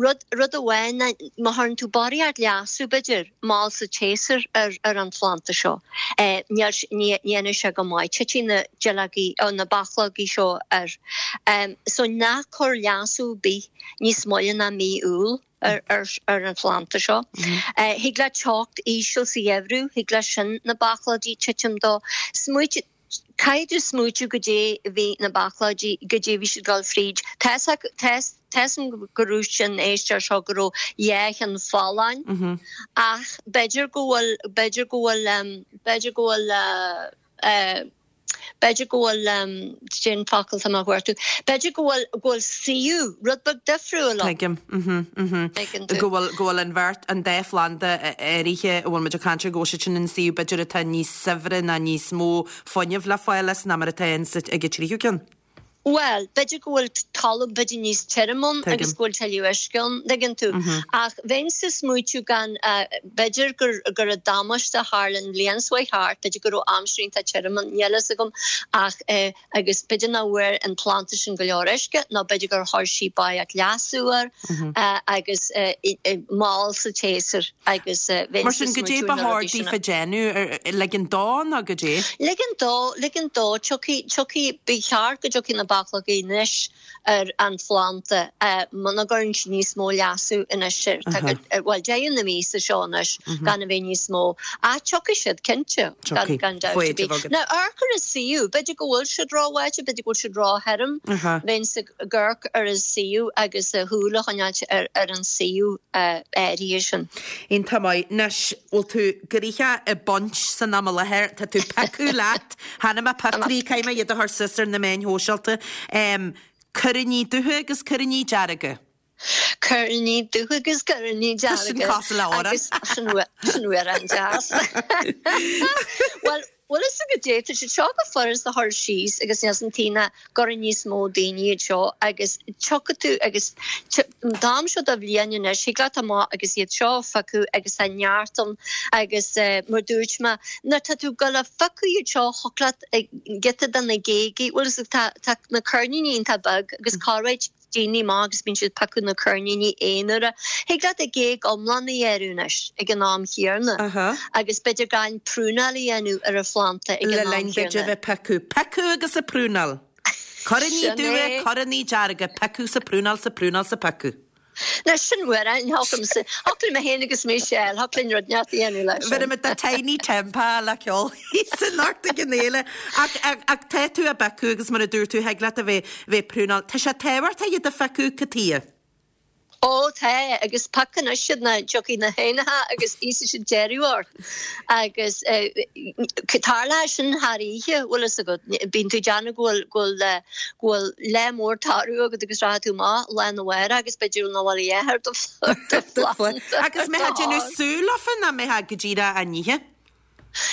Rud, rud amháin ná má chuireann tú barraíocht leasú, b'fhéidir, mall sa tséasúr ar, ar an phlanda seo, níl, ní dhéanfaidh sé go maith. Titfidh na duilleogaí, na bachlógaí seo air. So ná cuir leasú ar bith níos moille ná mí Iúil. ar an phlanda seo. Thig le teocht íseal sa gheimhreadh, thig leis sin na bachlóidí titim dó. Smaoitigh, caithfidh tú smaoitiú goidé a bhí na bachlóidí, goidé a bhí siad ag dul fríd. Tá 'fhios agam go raibh sin éisteoir seo go raibh dhá cheann folláin ach b'fhéidir go bhfuil, b'fhéidir go bhfuil, b'fhéidir go bhfuil, B'fhéidir go bhfuil, cén focal atá mé a chuartú, b'fhéidir go bhfuil, go bhfuil suíomh rud beag difriúil ann. Tuigim, mhm, mhm. Tuigeann tú. Go bhfuil, go bhfuil an bheirt, an dá phlanda áirithe a bhfuil muid ag caint air, go bhfuil siad sin in suíomh b'fhéidir atá níos saibhre ná níos mó fuinnimh le fáil as ná mar atá ins, ag an tríú ceann. Bhuel, b'fhéidir go bhfuil talamh b'fhéidir níos tirim ann agus go bhfuil tuilleadh uisce ann, dtuigeann tú. Ach bheinnse ag smaoitiú gan, b'fhéidir gur go raibh damáiste a tharla an bhliain seo chuaigh thart, b'fhéidir go raibh aimsir iontach tirim ann, níl fhios agam, ach agus b'fhéidir nach bhfuair an planda sin go leor uisce nó b'fhéidir gur chuir sí barraíocht leasú air agus mall sa tséasúr agus bheinnse Mar sin, goidé smaoitiú ba na chóir rudaí sin. daofa déanamh, ligean dó nó goidé? Ligean dó, ligean dó, tiocfaidh, tiocfaidh, ba cheart go dtiocfaidh na. bachlógaí anois ar an phlanda muna gcuireann siad níos mó leasú anois air. Tá go, bhuel, deireadh na míosa seo anois gan a bheith níos mó. Ach tiocfaidh siad, cinnte, gan, gan dabht ar bith. Now, amharc ar an suíomh, b'fhéidir go bhfuil siad róbháite, b'fhéidir go bhfuil siad róthirim, bheinnse ag amharc ar an suíomh agus súil a choinneáilt ar an suíomh áirithe sin. Iontach maith. Anois, bhfuil tú gnoitheach ag baint san am i láthair, tá tú piocadh leat, Chonaic mé pictiúirí, caithfidh mé iad a chur suas ar na meáin shóisialta. Coiríní dubha agus coiríní dearga. Coiríní dubha agus coiríní Tá sin dearga. cosúil le amhrán. Agus sin amhrán deas. Bhuel, bhfuil fhios agat goidé, tá siad seo go furast a chur síos agus níl san taobh ná gcuireann níos mó daoine iad seo agus tiocfaidh tú agus an t-am seo de bhliain anois, thig leat amach agus iad seo a phiocadh agus tá neart ann agus mar dúirt mé, nuair tá tú ag dul a phiocadh iad seo thiocfadh leat giota de na géagaí, bhfuil fhios agat, tá na coirníní iontach beag agus corruair daoine maith agus bíonn siad ag piocadh na coirníní aonair. Thig leat an géag iomlán a ghearradh anois ag an am chéanna agus b'fhéidir gan prúnáil a dhéanamh ar an phlanda ag Le an am linn duit a chéanna. bheith ag piocadh. Piocadh agus ag prúnáil. Coiríní Sin dubha, é. coiríní dearga, piocadh 's ag prúnáil 's ag prúnáil 's ag piocadh. Now sin amhrán, thiocfadh thiocfadh liom féin agus Michelle, thiocfadh linn rud inteacht a dhéanamh leis Bheir sin. muid the Tinie Tempah le ceol thíos anocht ag an fhéile. Ach, ach, ach tá tú ag piocadh agus mar a dúirt tú, thig leat a bheith, bheith ag prúnáil. Tá sé tábhachtach iad a phiocadh, cad chuige? Ó tá, agus pioc anois iad nó tiocfaidh na héanacha agus íosfaidh siad deireadh ort. Agus tarlóidh sin thar oíche, bhfuil fhios agat. Bíonn tú ag déanamh go bhfuil, go bhfuil, go bhfuil lá mór toradh agat agus rachaidh tú amach lá arna mhárach agus b'fhéidir nach bhfuil a dhath ar do phlanda. Agus an mbeifeá ag déanamh sú leofa nó an mbeifeá go díreach á n-ithe?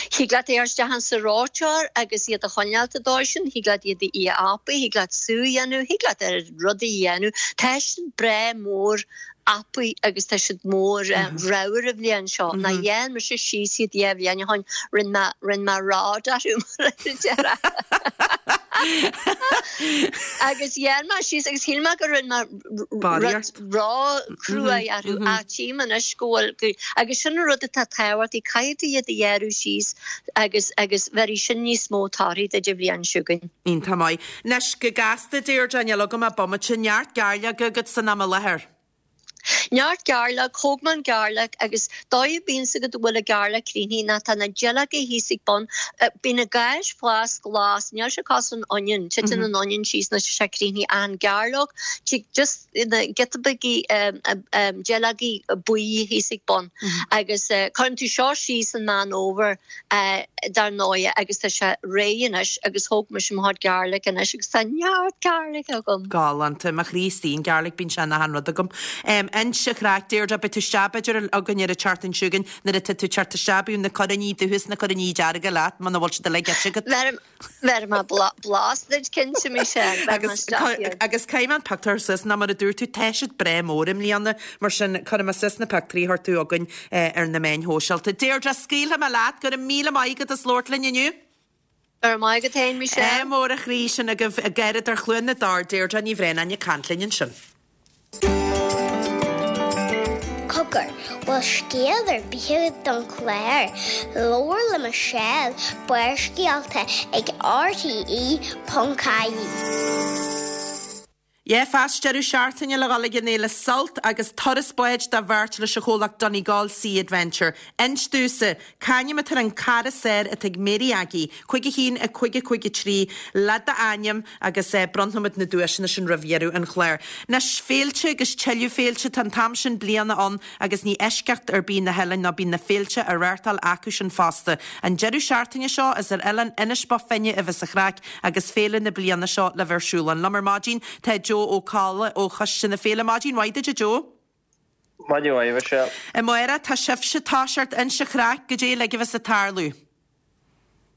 Thig leat é a chur isteach insa reoiteoir agus iad a choinneáilt an dóigh sin, thig leat iad a ithe apaidh, thig leat sú a dhéanamh, thig leat oiread rudaí a dhéanamh. Tá siad breá mór apaidh agus tá siad mór ramhar an bhliain seo. Ná dhein mise síos iad dhá bhliain ó shoin, rinne mé, rinne mé rod orthu mar a déarfá. Agus dhein mé síos agus shíl mé go rinne mé rud ró-chruaidh orthu ach tchím anois go bhfuil, agus sin an rud atá tábhachtach, caithfidh tú iad a ghearradh síos agus agus bheirfidh sin níos mó torthaí duit an bhliain seo chugainn. Iontach maith. Anois, go gasta, Deirdre, níl agam ach bomaite, neart gairleoga agat san am i láthair. Neart gairleog, thóg mé an gairleog agus dóigh a bíonns agat go bhfuil an gairleog críochnaithe ná tá na duilleoga thíos ag bun, bíonn an gás fás glas, níl sé cosúil an onion, titeann an onion síos nuair atá sé críochnaithe ach an gairleog, tig just na giota beaga duilleogaí buí thíos ag bun agus cuireann tú seo síos an Meán Fhómhair dar ndóighe agus tá sé réidh anois agus thóg mise mo chuid garlic anois agus tá neart garlic agam. Galánta. Mo chroí istigh an garlic, bíonn sé in achan rud agam. Inis an chraic, Deirdre, beidh tú isteach b'fhéidir againn ar an tseachtain seo chugainn nuair atá tú ag teacht isteach bíodh na coiríní dubha is na coiríní dearga leat muna bhfuil siad uilig ite agat. Bheir mé blas duit cinnte, Michelle. Bheir mé isteach iad. Agus caithfidh mé an pictiúr suas ná mar a dúirt tú tá siad breá mór i mbliana mar sin cuirfidh mé suas na pictiúirí a chuir tú chugainn ar na meáin shóisialta. Deirdre, scaoilfidh mé leat, go raibh míle maith agat as labhairt linn inniu. Go raibh maith agat féin, Michelle. Ádh mór a chroí sin agaibh, Garradóir Chluain na dTor, Deirdre Ní Bhraonáin ag caint linn ansin. Cogar, bhfuil scéal ar bith agat don chlár? Labhair le Michelle, Barrscéalta ag RTE.ie. Yeah, feast deireadh seachtaine le dhul ag an fhéile Sult agus turas báid do bheirt leis an chomhlacht Donegal Sea Adventure. Inis domhsa, c'ainm atá ar an cara saor atá ag Mary Aggie, 5 1 5 5 3, le d'ainm agus bronnfaimid na duaiseanna sin roimh dheireadh an chláir. Anois, féilte agus tuilleadh féilte, tá an t-am sin bliana ann agus ní eisceacht ar bith na hoileáin ná bíonn na féilte á reáchtáil acu sin fosta. An deireadh seachtaine seo is ar oileán Inis Bó Finne a bheas an chraic agus féile na bliana seo le bheith ar siúl ann. Liom ar maidin tá Joe Ó Cadhla ó Choiste na Féile. Maidin mhaith duit a Joe. Maidin mhaith, a Mhichelle. Amárach tá sibhse ag toiseacht, inis an chraic, goidé uilig a bheas ag tarlú.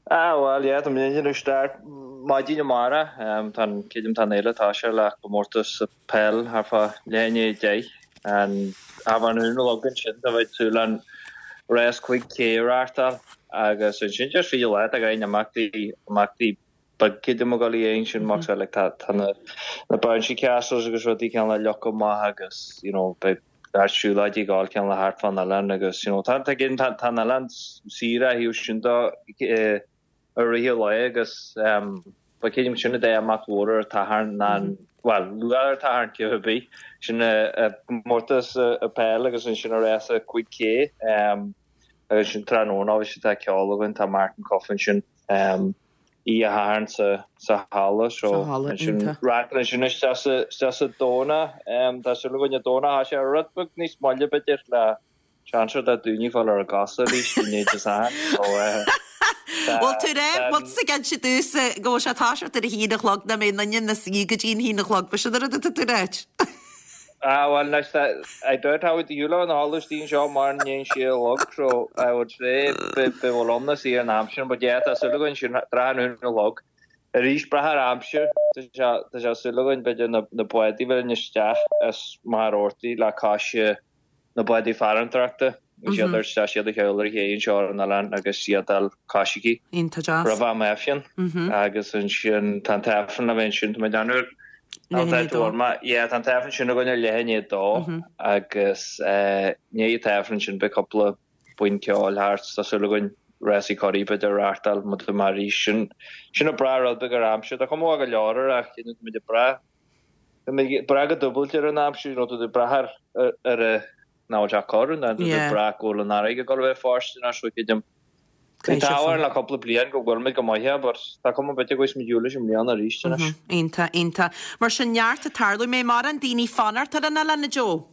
Ah bhuel yeah, tá muid ag déanamh start maidin amárach. Tá an, creidim tá an fhéile ag toiseacht le comórtas peil thart fá leath i ndiaidh 10. An ábhar na Nollag ansin tá muid ag súil le an rás 5K a reáchtáil agus ansin just fríd an lá tá go leor imeachtaí imeachtaí beag creidim ag dul a dhéanamh sin mar like tá tá na na bouncy castles agus rudaí cineál le leagan amach agus you know beidh neart siúlóidí ag gabháil cineál thart fán oileán agus you know tá tá tá tá an oileán saor ó thaobh sin de i rith an lae agus um. But creidim sin an dá imeacht mhór ar an tSatharn ná an, bhuel, luath ar an tSatharn cé ar bith. Sin an comórtas peil agus ansin an rása 5K agus ansin tráthnóna obviously tá ceol againn, tá Martin Cuffe ansin oíche Shathairn sa sa halla so Sa halla, ansin iontach. reáchtáil ansin isteach sa isteach sa Domhnach. Tá súil againn an Domhnach tá sé rud beag níos moille b'fhéidir le Seans ar daoine fáil ar a gcosa arís i ndiaidh Dé Sathairn so tá Bhfuil tú rá, bhfuil tusa ag inse domhsa go bhfuil sé ag toiseacht ar a haon a chlog nach mbeidh duine ina suí go dtí an haon a chlog, ba sin an rud atá tú ag ráit? Ah bhuel anois tá, I doubt how the shiúl na halla istigh anseo mar i ndiaidh a sé a chlog so I would say beidh bhfuil ann na suí ar an am sin but yeah tá súil againn sin tráth an haon a chlog. Arís brath ar aimsir, tá sé tá sé súil againn b'fhéidir na na bádaí a bheith isteach as Machaire Rabhartaigh le cois na bádaí farantóireachta, agus iad ar isteach siad a cheol ar a chéidh anseo ar an oileán agus iad ag dul cois aici Iontach deas. roimh am Aifreann agus ansin tá an t-aifreann le bheith ansin, tá mé ag déanamh Leath i ndiaidh a dó. Yeah, tá an t-aifreann sin againn ar leath i ndiaidh a dó agus i ndiaidh an t-aifreann sin beidh cúpla buíon ceoil thart, tá súil againn rásaí curaí b'fhéidir a reáchtáil muid amach arís. Sin sin ag brath rud beag ar aimsir. Tá cuma mhaith go leor air ach you know, tá muid ag brath Tá mé ag brath go dúbailte ar an aimsir, you know, tá tú ag brath ar ar a nach bhfuil sé corr, nó tá tú ag brath go bhfuil an fharraige ag dul a bheith fáistineach, so creidim. Bhí an t-ádh orainn le cúpla bliain go bhfuil muid go maith air, but tá cuma b'fhéidir go bhfuil muid ualach i mbliana arís anois. Iontach, iontach. Mar sin neart ag tarlú. Mbeidh mórán daoine fanacht ar an oileán, a Joe?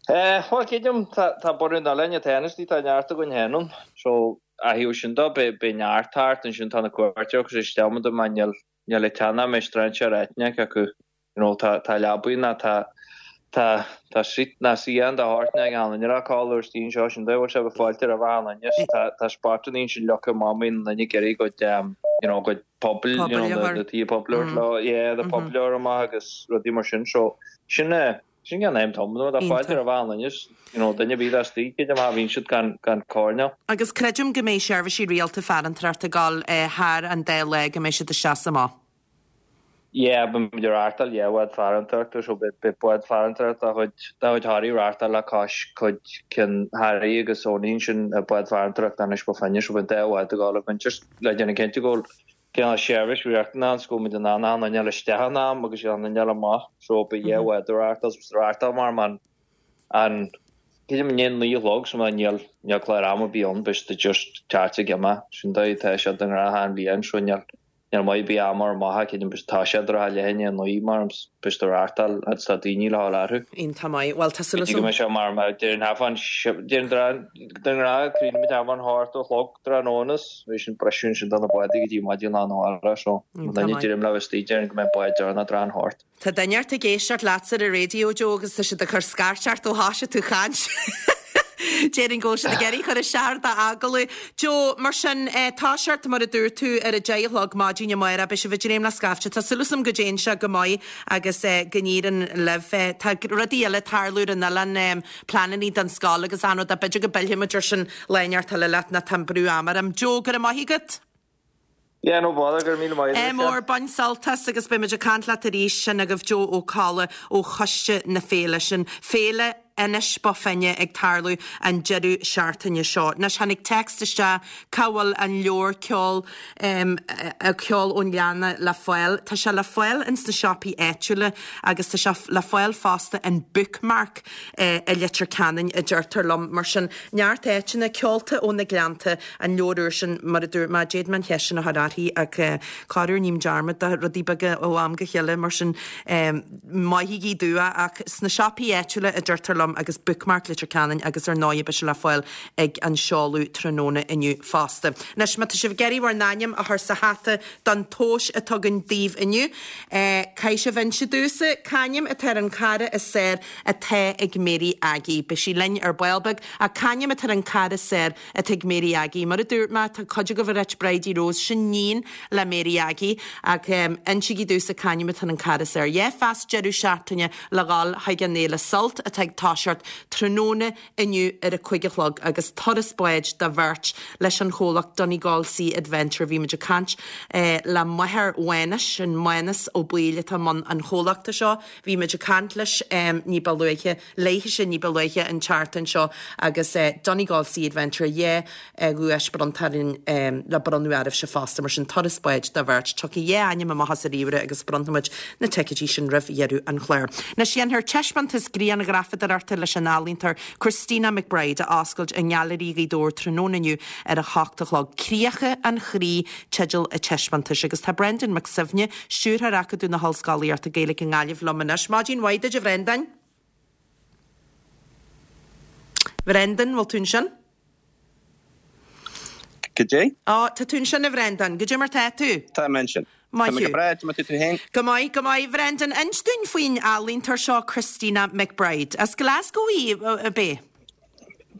Eh, bhuel, creidim, tá tá bunadh an oileáin atá anois, tá neart againn féin ann, so a thaobh sin dó, beidh beidh neart thart, ansin tá na cuairteoirí agus isteach muid mar níl Níl ag teannadh mé strainséir eitneach acu. You know, tá, tá leabaidh ná tá, tá, tá seat ná suíochán de shórt ag achan duine a codladh istigh anseo, sin dóigh a bhfuil sé bheith fáilte roimh achan duine. So tá, tá spotanna ansin leagtha amach má bhíonn duine ag iarraidh a gcuid, um, you know, a gcuid pubaill, you know, na, na tithe poiblí a thabhairt leo, yeah, na pubaill a chur amach agus rudaí mar sin. So, sin é, Sin gan aon tom nó tá fáilte roimh achan duine, you know, duine ar bith atá istigh, creidim má bhíonn siad gan, gan coirnéal. Agus creidim go mbeidh seirbhísí rialta farantóireachta ag dul thar an dá lá, go mbeidh siad isteach is amach. Yeah, beidh muid ag reáchtáil, yeah, bád farantóireachta, so beidh, beidh bád farantóireachta de chuid, de chuid Thoraí ag reáchtáil le cois cuid cinn Harry agus Tony ansin, bád farantóireachta Inis Bó Finne, so beidh an dá bhád ag dul againn, just le déanamh cinnte go bhfuil Cineál seirbhís riachtanach ann 's go bhfuil muid in ann achan duine a fháil isteach in am agus achan duine a fháil amach so beidh dhá bhád ag reáchtáil 's reáchtáil mar man an creidim i ndiaidh a naoi a chlog so má níl níl clár ama ar bith ann beidh siad just teacht ag imeacht sin dóigh atá sé den ghnáth achan bhliain so níl níl maith ar bith ama ar amach creidim beidh tá sé ar a leath i ndiaidh a naoi mar beidh siad ag reáchtáil agus tá daoine le fháil orthu. Iontach maith. Bhuel tá súil Go mbeidh sé mar mar deir an hafán deir an den ghnáth críochnaímid thart fán hocht a chlog tráthnóna is bhí sin briseadh ansin do na bádaí go dtí maidin lá arna mhárach so Iontach duine maith. deirim le istigh déarfainn go mbeidh bád deireanach tráth an hocht. Tá duine ort ag éisteacht leatsa ar an raidió, Joe, agus tá siad ag cur scairt ort ó thoisigh tú chaint. Déarfainn go bhfuil siad ag iarraidh cur isteach ar d'agallamh. Joe, mar sin, toiseacht, mar a dúirt tú, ar a deich a chlog maidin amárach, beidh sibh ag dréim le scaifte. Tá súil agam go dtéann sé go maith agus go n-éiríonn libh. Tá rudaí eile ag tarlú ar an oileán, pleanannaí don scoil agus achan rud, ach b'fhéidir go bpillfidh muid ar sin lá inteacht eile leat nó tá an brú ama orm. Joe, go raibh maith agat. Yeah, no bother, go raibh míle maith agat. Ádh mór, bain sult as agus beidh muid ag caint leat arís. Sin agaibh Joe Ó Colla ó Choiste na Féile. Sin Féile Inis Bó Finne ag tarlú an deireadh seachtaine seo. Anois tháinig text isteach cá bhfuil an leabhar ceol Ceol ón nGleann le fáil. Tá sé le fáil ins na siopaí áitiúla agus tá sé le fáil fosta in Bookmark i Leitir Ceanainn a deirtear liom. Mar sin neart áiteanna, Ceolta ó na Gleannta, an leabhar úr sin, mar a dúirt mé, d'fhéadfainn an cheist sin a chur uirthi ach corruair ním dearmad de rudaí beaga ó am go chéile, mar sin maithigí domh ach sna siopaí áitiúla a deirtear liom agus Bookmark Leitir Ceanainn agus ar ndóigh beidh sé le fáil ag an seoladh tráthnóna inniu fosta. Anois má tá sibh ag iarraidh bhur n-ainm a chur sa hata don tomhas atá againn daoibh inniu, caithfidh sibh inse domhsa c'ainm atá ar an cara is fearr atá ag Mary Aggie. Beidh sí linn ar ball beag ach c'ainm atá ar an cara is fearr atá ag Mary Aggie. Mar a dúirt mé, tá cuid agaibh ag ráit Bridie Rose, sin níon le Mary Aggie, ach insígí domhsa c'ainm atá ar an cara is fearr. Dhá phas deireadh seachtaine le dhul chuig an fhéile Sult atá ag toiseacht. toiseacht tráthnóna inniu ar a 5 a chlog agus turas báid do bheirt leis an chomhlacht Donegal Sea Adventure. Bhí muid ag caint le máthair Mhánais, sin Mánas Ó Baoill atá i mbun an chomhlachta seo. Bhí muid ag caint leis ní ba luaithe, léithise ní ba luaithe an tseachtain seo agus Donegal Sea Adventure 2 dhuais bronnta orainn le bronnadh oraibhse fosta, mar sin turas báid do bheirt. Tiocfaidh dhá ainm amach as an ríomhaire agus bronnfaimid na ticéidí sin roimh dheireadh an chláir. Anois déanfar taispeántas grianghrafadóireachta leis an ealaíontóir Christina McBride a oscailt i nGailearaí Ghaoth Dobhair tráthnóna inniu ar a hocht a chlog. Críocha an Chroí teideal an taispeántais agus tá Brendan Mac Suibhne, Stiúrthóir Acadamh na hOllscolaíochta Gaeilge i nGaillimh liom anois. Maidin mhaith duit a Bhrendáin. Bhrendan, bhfuil tú ansin? Goidé? Ó, tá tú ansin a Bhrendan. Goidé mar tá tú? Tá mé ansin. Maith Tá mé thú. go breá, goidé mar tá tú féin? Go maith, go maith. Bhrendan, inis dúinn faoin ealaíontóir seo, Christina McBride. As Glasgow í, ab é?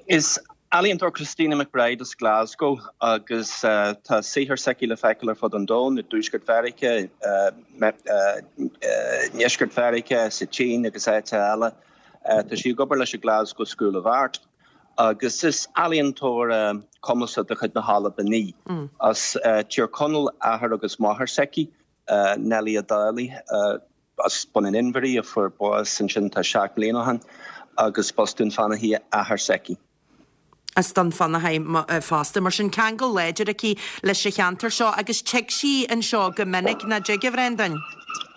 Is ealaíontóir Christina McBride as Glasgow agus tá saothar s'aici le feiceáil ar fud an domhain, i dTuaisceart Mheiriceá, i nDeisceart Mheiriceá, sa tSín agus áiteacha eile. Tá sí ag obair leis an Glasgow School of Art agus is ealaíontóir cumasach de chuid na hAlban í. As Tír Chonaill athair agus máthair s'aici, Nellie Ó Dálaigh, As Bun an Inbhir í, a fuair bás ansin tá 7 mbliana ó shin, agus b'as Dún Fionnachaidh athair s'aici. As Dún Fionnachaidh fosta. Mar sin, ceangal láidir aici leis an cheantar seo agus tig sí anseo go minic, nach dtig, a Bhrendáin?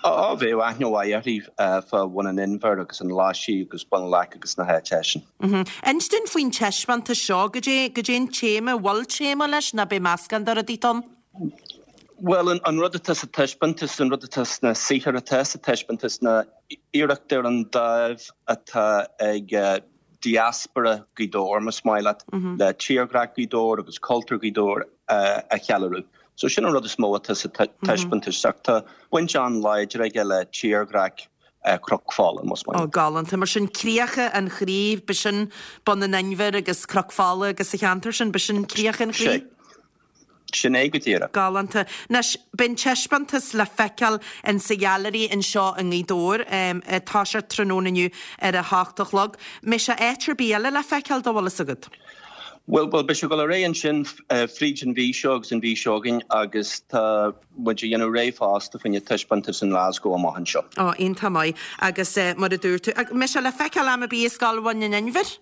Á, bheadh aithne mhaith uirthi fá Bhun an Inbhir agus an Ghlaisigh agus Bun Leac agus na háiteacha sin. Inis dúinn faoin taispeántas seo, goidé, goidé an téama, bhfuil téama leis nó beidh meascán de rudaí ann? Bhuel, an rud atá sa taispeántas, an rud atá sna saothair atá sa taispeántas ná iarracht ar an dáimh atá ag diaspora Ghaoth Dobhair, más maith leat, le tírdhreach Ghaoth Dobhair agus cultúr Ghaoth Dobhair a cheiliúradh. So sin an rud is mó atá sa taispeántas ach tá baint an-láidir aige le tírdhreach Chnoc Fola, más maith leat. Ó, galánta. Mar sin, Críocha an Chroí, b'shin Bun an Inbhir agus Cnoc Fola agus an cheantar sin, b'shin Críocha an Chroí? Sé. Sin é go díreach. Galánta. Anois, beidh an taispeántas le feiceáil in sa ghailearaí anseo i nGaoth Dobhair ag toiseacht tráthnóna inniu ar a hocht a chlog. Mbeidh sé áit ar bith eile le feiceáil dá bhfuil fhios agat? Bhuel, bhuel, beidh sé ag dul ar aghaidh ansin fríd an mhí seo agus an mhí seo chugainn agus tá muid ag déanamh réidh fosta fá choinne taispeántas in Glasgow amach anseo. Ó, iontach maith. Agus mar a dúirt tú, mbeidh sé le feiceáil am ar bith i Scoil Bhun an Inbhir?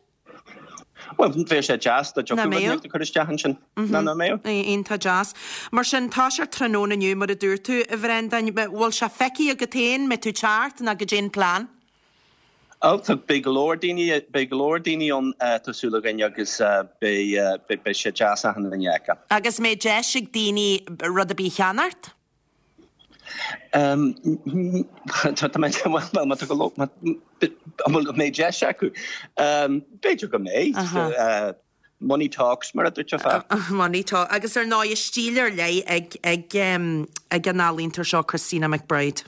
Bhuel, bheadh sé deas dá dtiocfadh rud inteacht a chur isteach ansin. Ná nach mbeadh? Iontach deas. Mar sin, toiseacht tráthnóna inniu, mar a dúirt tú, a Bhrendáin. Bhfuil sé feicthe agat féin? Mbeidh tú ag teacht nó goidé an plean? Ó, tá, beidh go leor daoine, beidh go leor daoine ann, tá súil againn, agus beidh, beidh sé deas achan duine a fheiceáil. Agus mbeidh deis ag daoine rud ar bith a cheannacht? Tá mé, bhuel, má tá go leor, an bhfuil, an mbeidh deis acu? B'fhéidir go mbeidh. Money talks, mar a dúirt Money talks. Agus ar ndóigh, stíl ar leith ag, ag, ag an ealaíontóir seo, Christina McBride.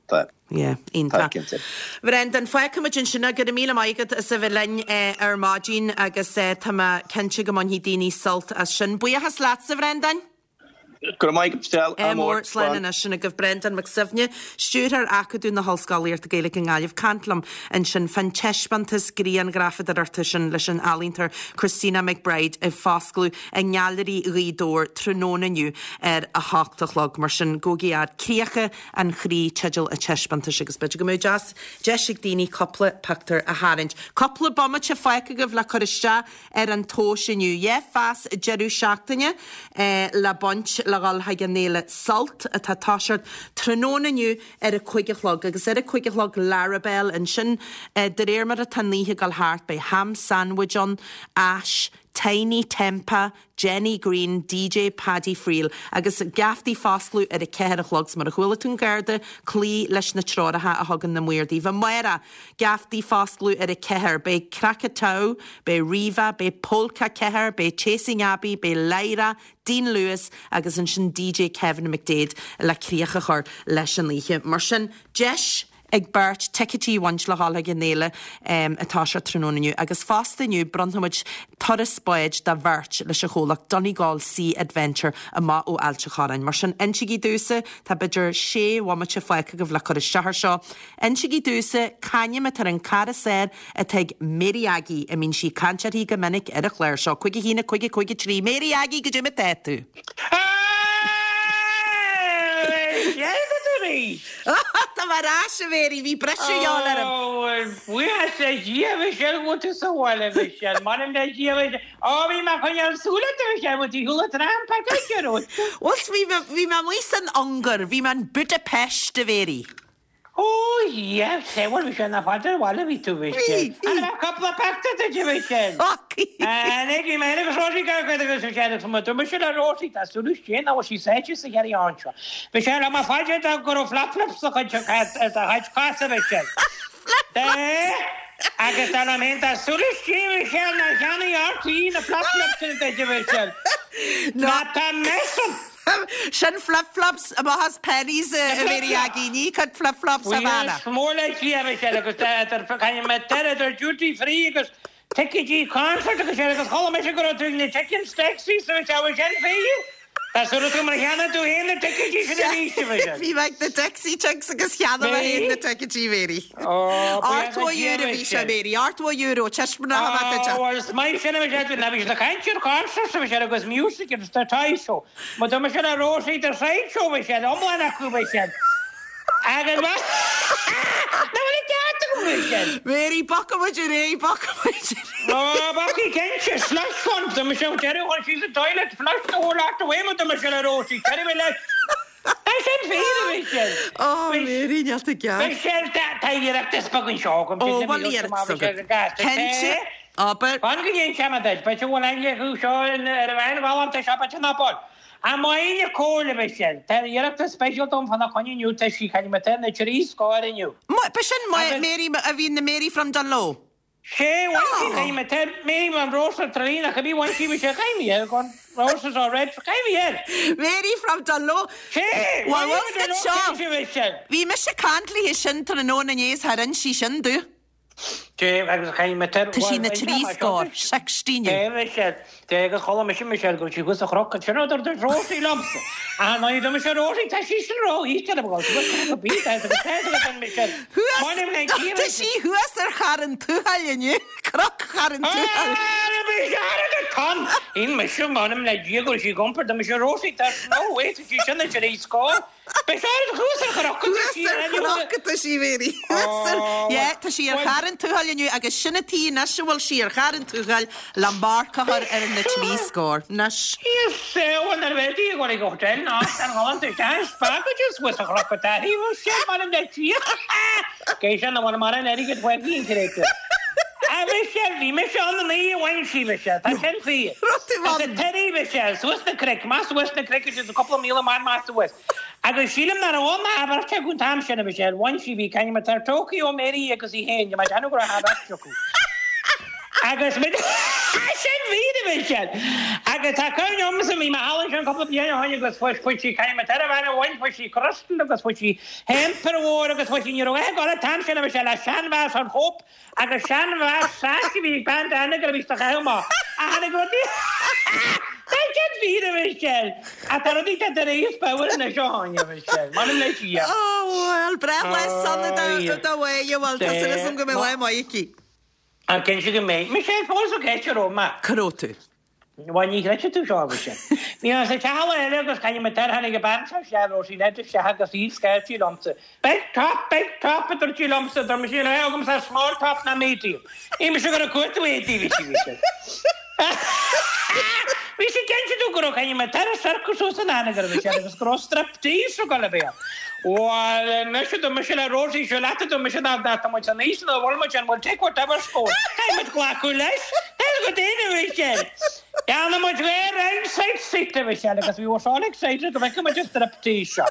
Tá. Yeah, iontach. Tá, cinnte. Bhrendan, fágfaimid ansin é. Go raibh míle maith agat as a bheith linn ar maidin agus tá mé cinnte go mbainfidh daoine sult as sin. Buíochas leatsa, a Bhrendáin. Go raibh maith agat, Michelle. Ádh mór. Slán anois. Sin agaibh Brendan Mac Suibhne, Stiúrthóir Acadamh na hOllscolaíochta Gaeilge i nGaillimh. Caint liom ansin fán taispeántas grianghrafadóireachta sin leis an ealaíontóir Christina McBride ag foscladh i nGailearaí Ghaoth Dobhair tráthnóna inniu ar a hocht a chlog. Mar sin, gabhaigí fhad. Críocha an Chroí teideal an taispeántais agus b'fhéidir go mbeadh deas deis ag daoine cúpla pictiúr a tharraingt. Cúpla bomaite fágtha agaibh le cur isteach ar an tomhas inniu. Dhá phas deireadh seachtaine le baint le dhul chuig an fhéile Sult atá ag toiseacht tráthnóna inniu ar a 5 a chlog agus ar a 5 a chlog Larabel ansin de réir mar atá an oíche ag dul thart beidh Ham Sandwich ann, Ash, Tinie Tempah, Jenny Greene, DJ Paddy Friel agus geaftaí foscladh ar a 4 a chlog. 'S mar a chuala tú an Garda, cloí leis na treoracha a thugann na maoir daoibh. Amárach, Geaftaí foscladh ar a 4. Beidh Krakatau, beidh Riva, beidh Polka 4, beidh Chasing Abbey, beidh Lyra, Dean Lewis agus ansin DJ Kevin McDaid le críoch a chur leis an oíche. Mar sin, deis. ag beirt ticéidí a bhaint le dhul chuig an fhéile ag toiseacht tráthnóna inniu agus fosta inniu bronnfaidh muid turas báid do bheirt leis an chomhlacht Donegal Sea Adventure amach ó Ailt a' Chorráin. Mar sin insigí domhsa, tá b'fhéidir sé bhomaite fágtha agaibh le cur isteach air seo, insigí domhsa c'ainm atá ar an cara saor atá ag Mary Aggie a mbíonn sí ag caint uirthi go minic ar an chlár seo. 5 1 5 5 3 Mary Aggie, goidé mar atá tú? Tá mé ar ais, a Mhary, bhí briseadh a dhíobháil orm. Buíochas le Dia, a Mhichelle, go bhfuil tú sa bhaile, a Mhichelle. M'anam le Dia, a Mhichelle. Ó, bhí mé ag coinneáil súil ort, a Mhichelle, bhfuil tú ar shiúl an tram, Páirc an Chrócaigh? Bhuel, bhí mé amuigh san Ungáir, bhí mé in Budapest, a Mhary. Ó, yeah, sé, bhuel, bhí sé nach fada ar bhaile a bhí tú, bhí sé. Bhí, bhí. An raibh cúpla pictiúr duit, a Mhichelle? Tháinig, bhí mé féin agus Rosie gar cuid agus bhí sé agus mo dúirt mise le Rosie, tá súil istigh nach bhfuil sí sáite sa chearraí ann seo. Bhí sé le mo fáilte dá go raibh flip-flops sa chuid seo ar do chuid cos, a Mhichelle. Agus dar liom féin, tá súil istigh, a Mhichelle, nár cheannaigh RTÉ na flip-flops sin duit, a Mhichelle. Ná tá mess an. Sin flip flops amach as Penneys a Mhary Aggie, ní cuid flip flops Havana. Buíochas mór le Dia a Mhichelle agus idir idir duty free agus ticéidí concert agus sin agus chuala mise go raibh tú ag na chicken steaks a Mhichelle sin fíor? Tá súil agam gur cheannaigh tú féin na ticéidí sin arís a Mhichelle. Bhí mé ag na Dixie Chicks agus cheannaigh mé féin na ticéidí Mary. €80 a bhí sé Mary, €80, taispeánfaidh mé duit é. Bhuel is maith sin a Mhichelle, ná bhí siad ag caint ar concerts a Mhichelle agus music agus the Toy Show. Má tá mise le Rosie the Sideshow Mhichelle, iomlán acu Mhichelle. Agus má Ná bhfuil an ceart agam Mhichelle? Mary, bogfaidh muid ar aghaidh, bogfaidh muid ar aghaidh. Ó, bogfaidh cinnte, slush fund, tá mise ag deireadh chun síos an toilet, flush the whole lot away má tá mise le Rosie, deireadh mé leis. Tá sin fíor, a Mhichelle. Ó, Mary, níl tú ceart. Michelle, tá iarratas beag anseo agam. Ó, bhfuil iarratas agat? Cinnte. Abair. Fan go n-inseoidh mé duit, b'fhéidir go bhfuil aithne acu seo ar an bhean ghalánta seo, b'fhéidir nach bhfuil. Ach maíonn a comhairle, Michelle, tá iarratas speisialta agam fána choinne inniu, tá sí caithfidh mé tá na trí scór inniu. B'shin Mary a bhí na Mary from Dungloe. Sé, bhain sí caithfidh mé tá Mary from Ros ar Traí nach bhí bhain sí Michelle caithfidh mé air gone Roses are red caithfidh mé air. Mary from Dungloe. Sé, Bhuel, bhfuil seo. Michelle. Bhí mise ag caint léi sin tráthnóna inné is thar inis sí sin domh. Dé agus chaith mé Tá sí na trí scór, 60 inniu. Dé Michelle, Dé agus chuala mise Michelle go raibh sí thuas sa chnoc ansin a dúirt Rosie liomsa. Ah ná dúirt mise Rosie tá sí sin ró-íseal a bhfuil thuas go bí tá agus tá agus an Michelle. Thuas, M'anam le Dia tá sí thuas ar Charn Tuathail inniu, Cnoc Charn Tuathail. Ah mise ar an ton. Shíl mise m'anam le Dia go raibh sí ag iompar dúirt mise Rosie tá no way tá sí sin na trí scór. Beidh sé ar thuas ar chnoc atá sí Thuas ar chnoc atá sí, Mary. Thuas ar, yeah, tá sí ar Charn Tuathail inniu agus sin an tuige anois a bhfuil sí ar Charn Tuathail le marc a chur ar na trí scór. Anois. Yes, bhuel nuair a bheidh sí ag dul ag hotel ná san Holland isteach spreagadh sí suas a chnoc atá sí, bhuel sin m'anam le Dia. Cé sin a bhfuil mar an airgead uaithi an créatúr. A Mhichelle, bhí mise ann an oíche a bhain sí Michelle, tá sin fíor. Raibh tú Is ann. a Terry Michelle, suas na cnoic, amach suas na cnoic agus cúpla míle amach amach suas. Agus sílim nach raibh ann ach beirt acu an t-am sin, a Mhichelle, bhain sí, bhí Caithfidh mé tar Tokyo Mary agus í féin, mé ag déanamh go raibh ach beirt acu. Agus muid Sin fíor, a Mhichelle! Agus tá cuimhne agamsa, bhí mé thall ansin cúpla bliain ó shin agus fuair fuair sí Caithfidh mé tar a bhean a bhain, fuair sí crystal agus fuair sí hamper mhór agus fuair sí ní raibh ag dul an t-am sin a Mhichelle ach seanmheas an chóip agus seanmheas sais a bhí ag bean Dan go raibh sí chaitheamh amach ach tháinig rudaí Tá sin fíor a Mhichelle! Ach tá rudaí tá tar éis power anois ó tháinig a Mhichelle. M'anam le Dia. Ó bhuel, breithlá sona do do Mháire, bhuel tá súil agam go mbeidh lá maith aici. Ach cinnte go mbeidh. Michelle, fós ó ceist a raibh mé. Cá raibh tú? Bhuel, ní chreidfidh tú seo, a Mhichelle. Bhí mé sa teach eile agus caithfidh mé tar tháinig an bean seo isteach, Rosie Ned isteach agus í scairt sí liomsa. Big top, big top, a dúirt sí liomsa, dúirt mise níl a agamsa small top ná medium. Bhí mise ag cuartú éadaí, bhí sí, Michelle. Bhí sí cinnte tú go raibh caithfidh mé tar circus suas in Anagaire, Michelle, agus go raibh striptease ag dul a bheith ann. Bhuel, anois a dúirt mise le Rosie, seo leat a dúirt mise dá tá muid san aois ina bhfuil muid, and we'll take whatever's going. Caithfidh muid glacadh leis. That's go dtéann, a Mhichelle. Cheannaigh muid dhá ringside seat, a Mhichelle, agus we were all excited go bhfeicfeadh muid an striptease seo.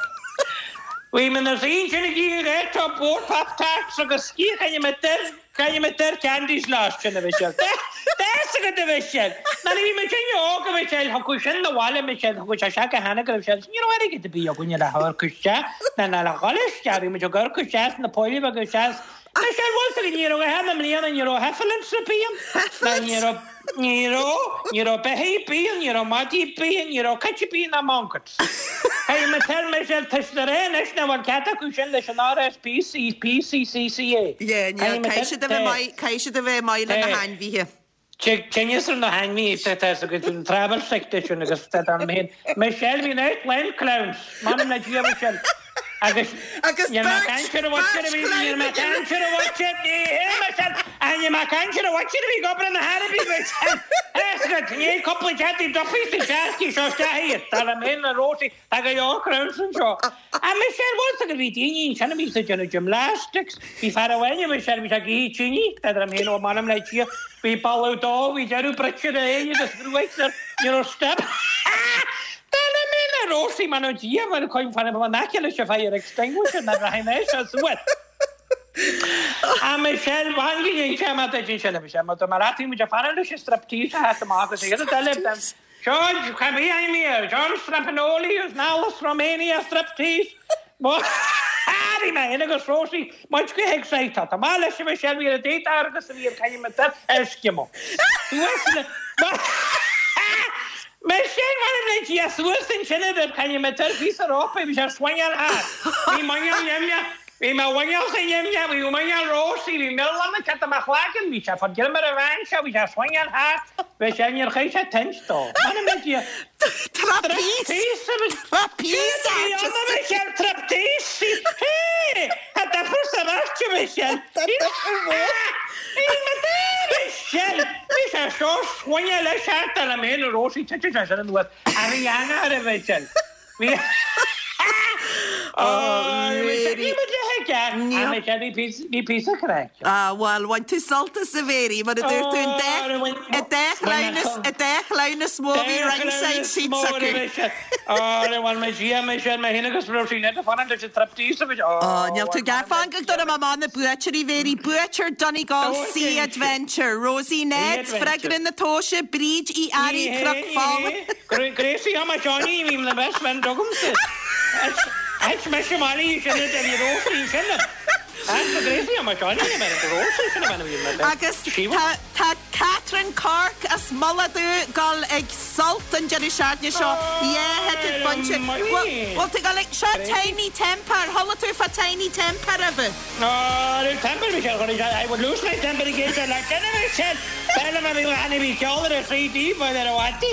Bhí mé ina suí ansin ag ithe dhá tub mhór Pop Tarts agus sciath chaithfidh mé duir, chaithfidh mé duir candies last sin a Mhichelle. Tá fhios agat a Mhichelle, nuair a bhí muid inne óg a Mhichelle, thiocfadh sin 'na bhaile Michelle, thiocfadh sé isteach go cheana go raibh sé, ní raibh airgead ar bith againne le hamharc isteach, ná ná le dhul isteach, bhí muid ag amharc isteach sna poill bheaga isteach, Michelle, bhfuil fhios agat, ní raibh a na mbliana, ní raibh heffalumps ar bith ann, ná ní raibh, ní raibh, ní raibh beithígh ar bith ann, ní raibh madaí ar bith ann, ní raibh cait ar bith ná monkeys. Hey, Michelle, Michelle, tá siad ag rá anois nach bhfuil cead acu sin leis an RSPC, PCCCA. Yeah, níl, caithfidh siad a bheith maith, caithfidh siad a bheith maith le na hainmhithe. Tinneas ar na hainmhithe, tá fhios agat, an travel sickness sin agus tá dar liom féin. Michelle, bhí an áit lán clowns, m'anam le Dia, Michelle. Agus Agus níl mé ag beirt, caint ar an bhutcher a beirt bhí, níl chlann mé ag caint ar an bhutcher, ní hé, Michelle, ach níl mé ag caint ar an bhutcher a bhí ag obair in na hAraibí, Michelle. Tá fhios agat, níl cúpla deadaí duffy sa seascaí seo isteach iad, dar liom féin na Rosie, tá go leor clowns anseo. Ach Michelle, bhfuil fhios agat, bhí daoine ansin a bhí ag déanamh gymnastics, bhí fear amháin, Michelle, bhí sé ag ithe tine, dar liom féin, ó m'anam le Dia, bhí boladh dó, bhí deireadh bruite ar a aghaidh agus gruaig air, ní raibh step. Dar liom féin a Rosie, m'anam Dia, mar coin fan an aice leis an fire extinguisher ná rachaidh mé seo suas. A Michelle, bhain go dtí sé má duit sin a Michelle, má tá mar athraíonn muid a fanacht leis an striptease a theacht amach agus a chéad eile den George, cha bhí aon mhír, John Strapinoli is Alice Romania striptease. Bhí mé féin agus Rosie muid go hexcited. Tá maith leis a Michelle, bhí ar a dtaobh agus a bhí ar caithfidh mé Eskimo. Suas le Michelle, M'anam le Dia, suas ansin a bheith caithfidh mé tar píosa rópa, bhí sé swingeáil thart. Bhí muineál nimhneach, bhí mo mhuineálsa nimhneach, bhí muineál Rosie, bhí milleán ag teacht i mo chloigeann, bhí sé fá greim ar an bhean seo, bhí sé swingeáil thart, bhí sé, níor chaith sé toint dó. M'anam le Dia. Trapeze! Trapeze artist! Michelle, trapeze! Hé! Tá difear sa bheirt, a Michelle! Tá difear mhór! Michelle! Bhí sé seo swingeáil leis thart ar an méin a Rosie, titeann sé sin anuas. A bhí an-air, a Mhichelle. Bhí. Oh, Bhí muid le haige. A Michelle, bhí píosa, bhí píosa craic. Ah, bhuel, bhain tú sult as a Mhéirí, mar a dúirt tú, an dá, an dá chleamhnas, an dá chleamhnas mó a bhí ringside seats acu. Ó, bhuel, mé Dia, Michelle, mé féin agus Rosie Ned ag fanacht leis an trapeze a bhí. Ó, níl tú gar. Fan go dtabharfaidh mé amach na buaiteoirí, Mhéirí. Buaiteoir Donegal Sea Adventure, Rosie Ned, Freagra na Tomhaise, Bríd Uí Fhearraigh, Cnoc Fola. Gracie, tá Johnny, bhí na best friend agamsa. Ait mise Molly, sin a bhí Rosie, sin a. Ait Gracie, tá Johnny, bhí Rosie, sin a bhí na best. Agus tá, tá Catherine Cork as Mullach Dubh dul ag Sult an deireadh seachtaine seo. Yeah, thicéad bainte. Bhfuil tú dul ag, seo Tinie Tempah, ar chuala tú fá Tinie Tempah roimhe? Nó temper bhí sé I would lose my temper again sir like sin a bhí sin B'fhearr liom a bhí a bhí ceol ar a 3D bhuel ar a bhfáiltí.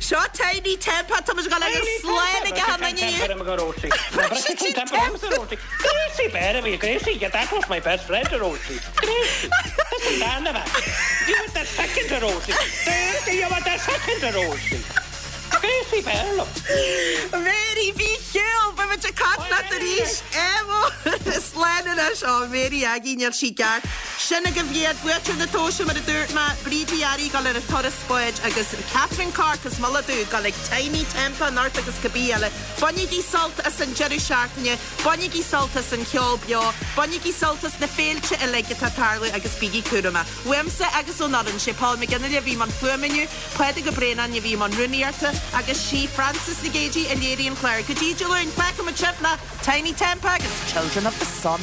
Seo Tinie Tempah, tá muid ag dul ag slán ag an inniu. Gracie temper Gracie bear a bhí Gracie yeah that was my best friend a Rosie Gracie That's an darna bhean You were the second a Rosie Gracie you were the second a Rosie Gracie b'fhearr liom. Mary bí chiúin, beidh muid ag caint leat arís. Éamó, Slán anois. Ó, Mary Aggie, níl sí ceart. Sin agaibh iad, buaiteoir na tomhaise mar a dúirt mé, Bríd Uí Fhearraigh ag dul ar an turas báid agus Catherine Cork as Mullach Dubh ag dul ag Tinie Tempah anocht agus cibé eile. Bainigí sult as an deireadh seachtaine, bainigí sult as an cheol beo, bainigí sult as na féilte uilig atá ag tarlú agus bígí cúramach. Uaimse agus ón fhoireann, sé Paul McGinley a bhí i mbun fuaime inniu, Pádraig Ó Braonáin a bhí i mbun rúnaíochta agus sí Frances Nic Géadaigh a léirigh an clár. Go dtí Dé Luain, fágfaimid sibh le Tinie Tempah agus Children of the Sun.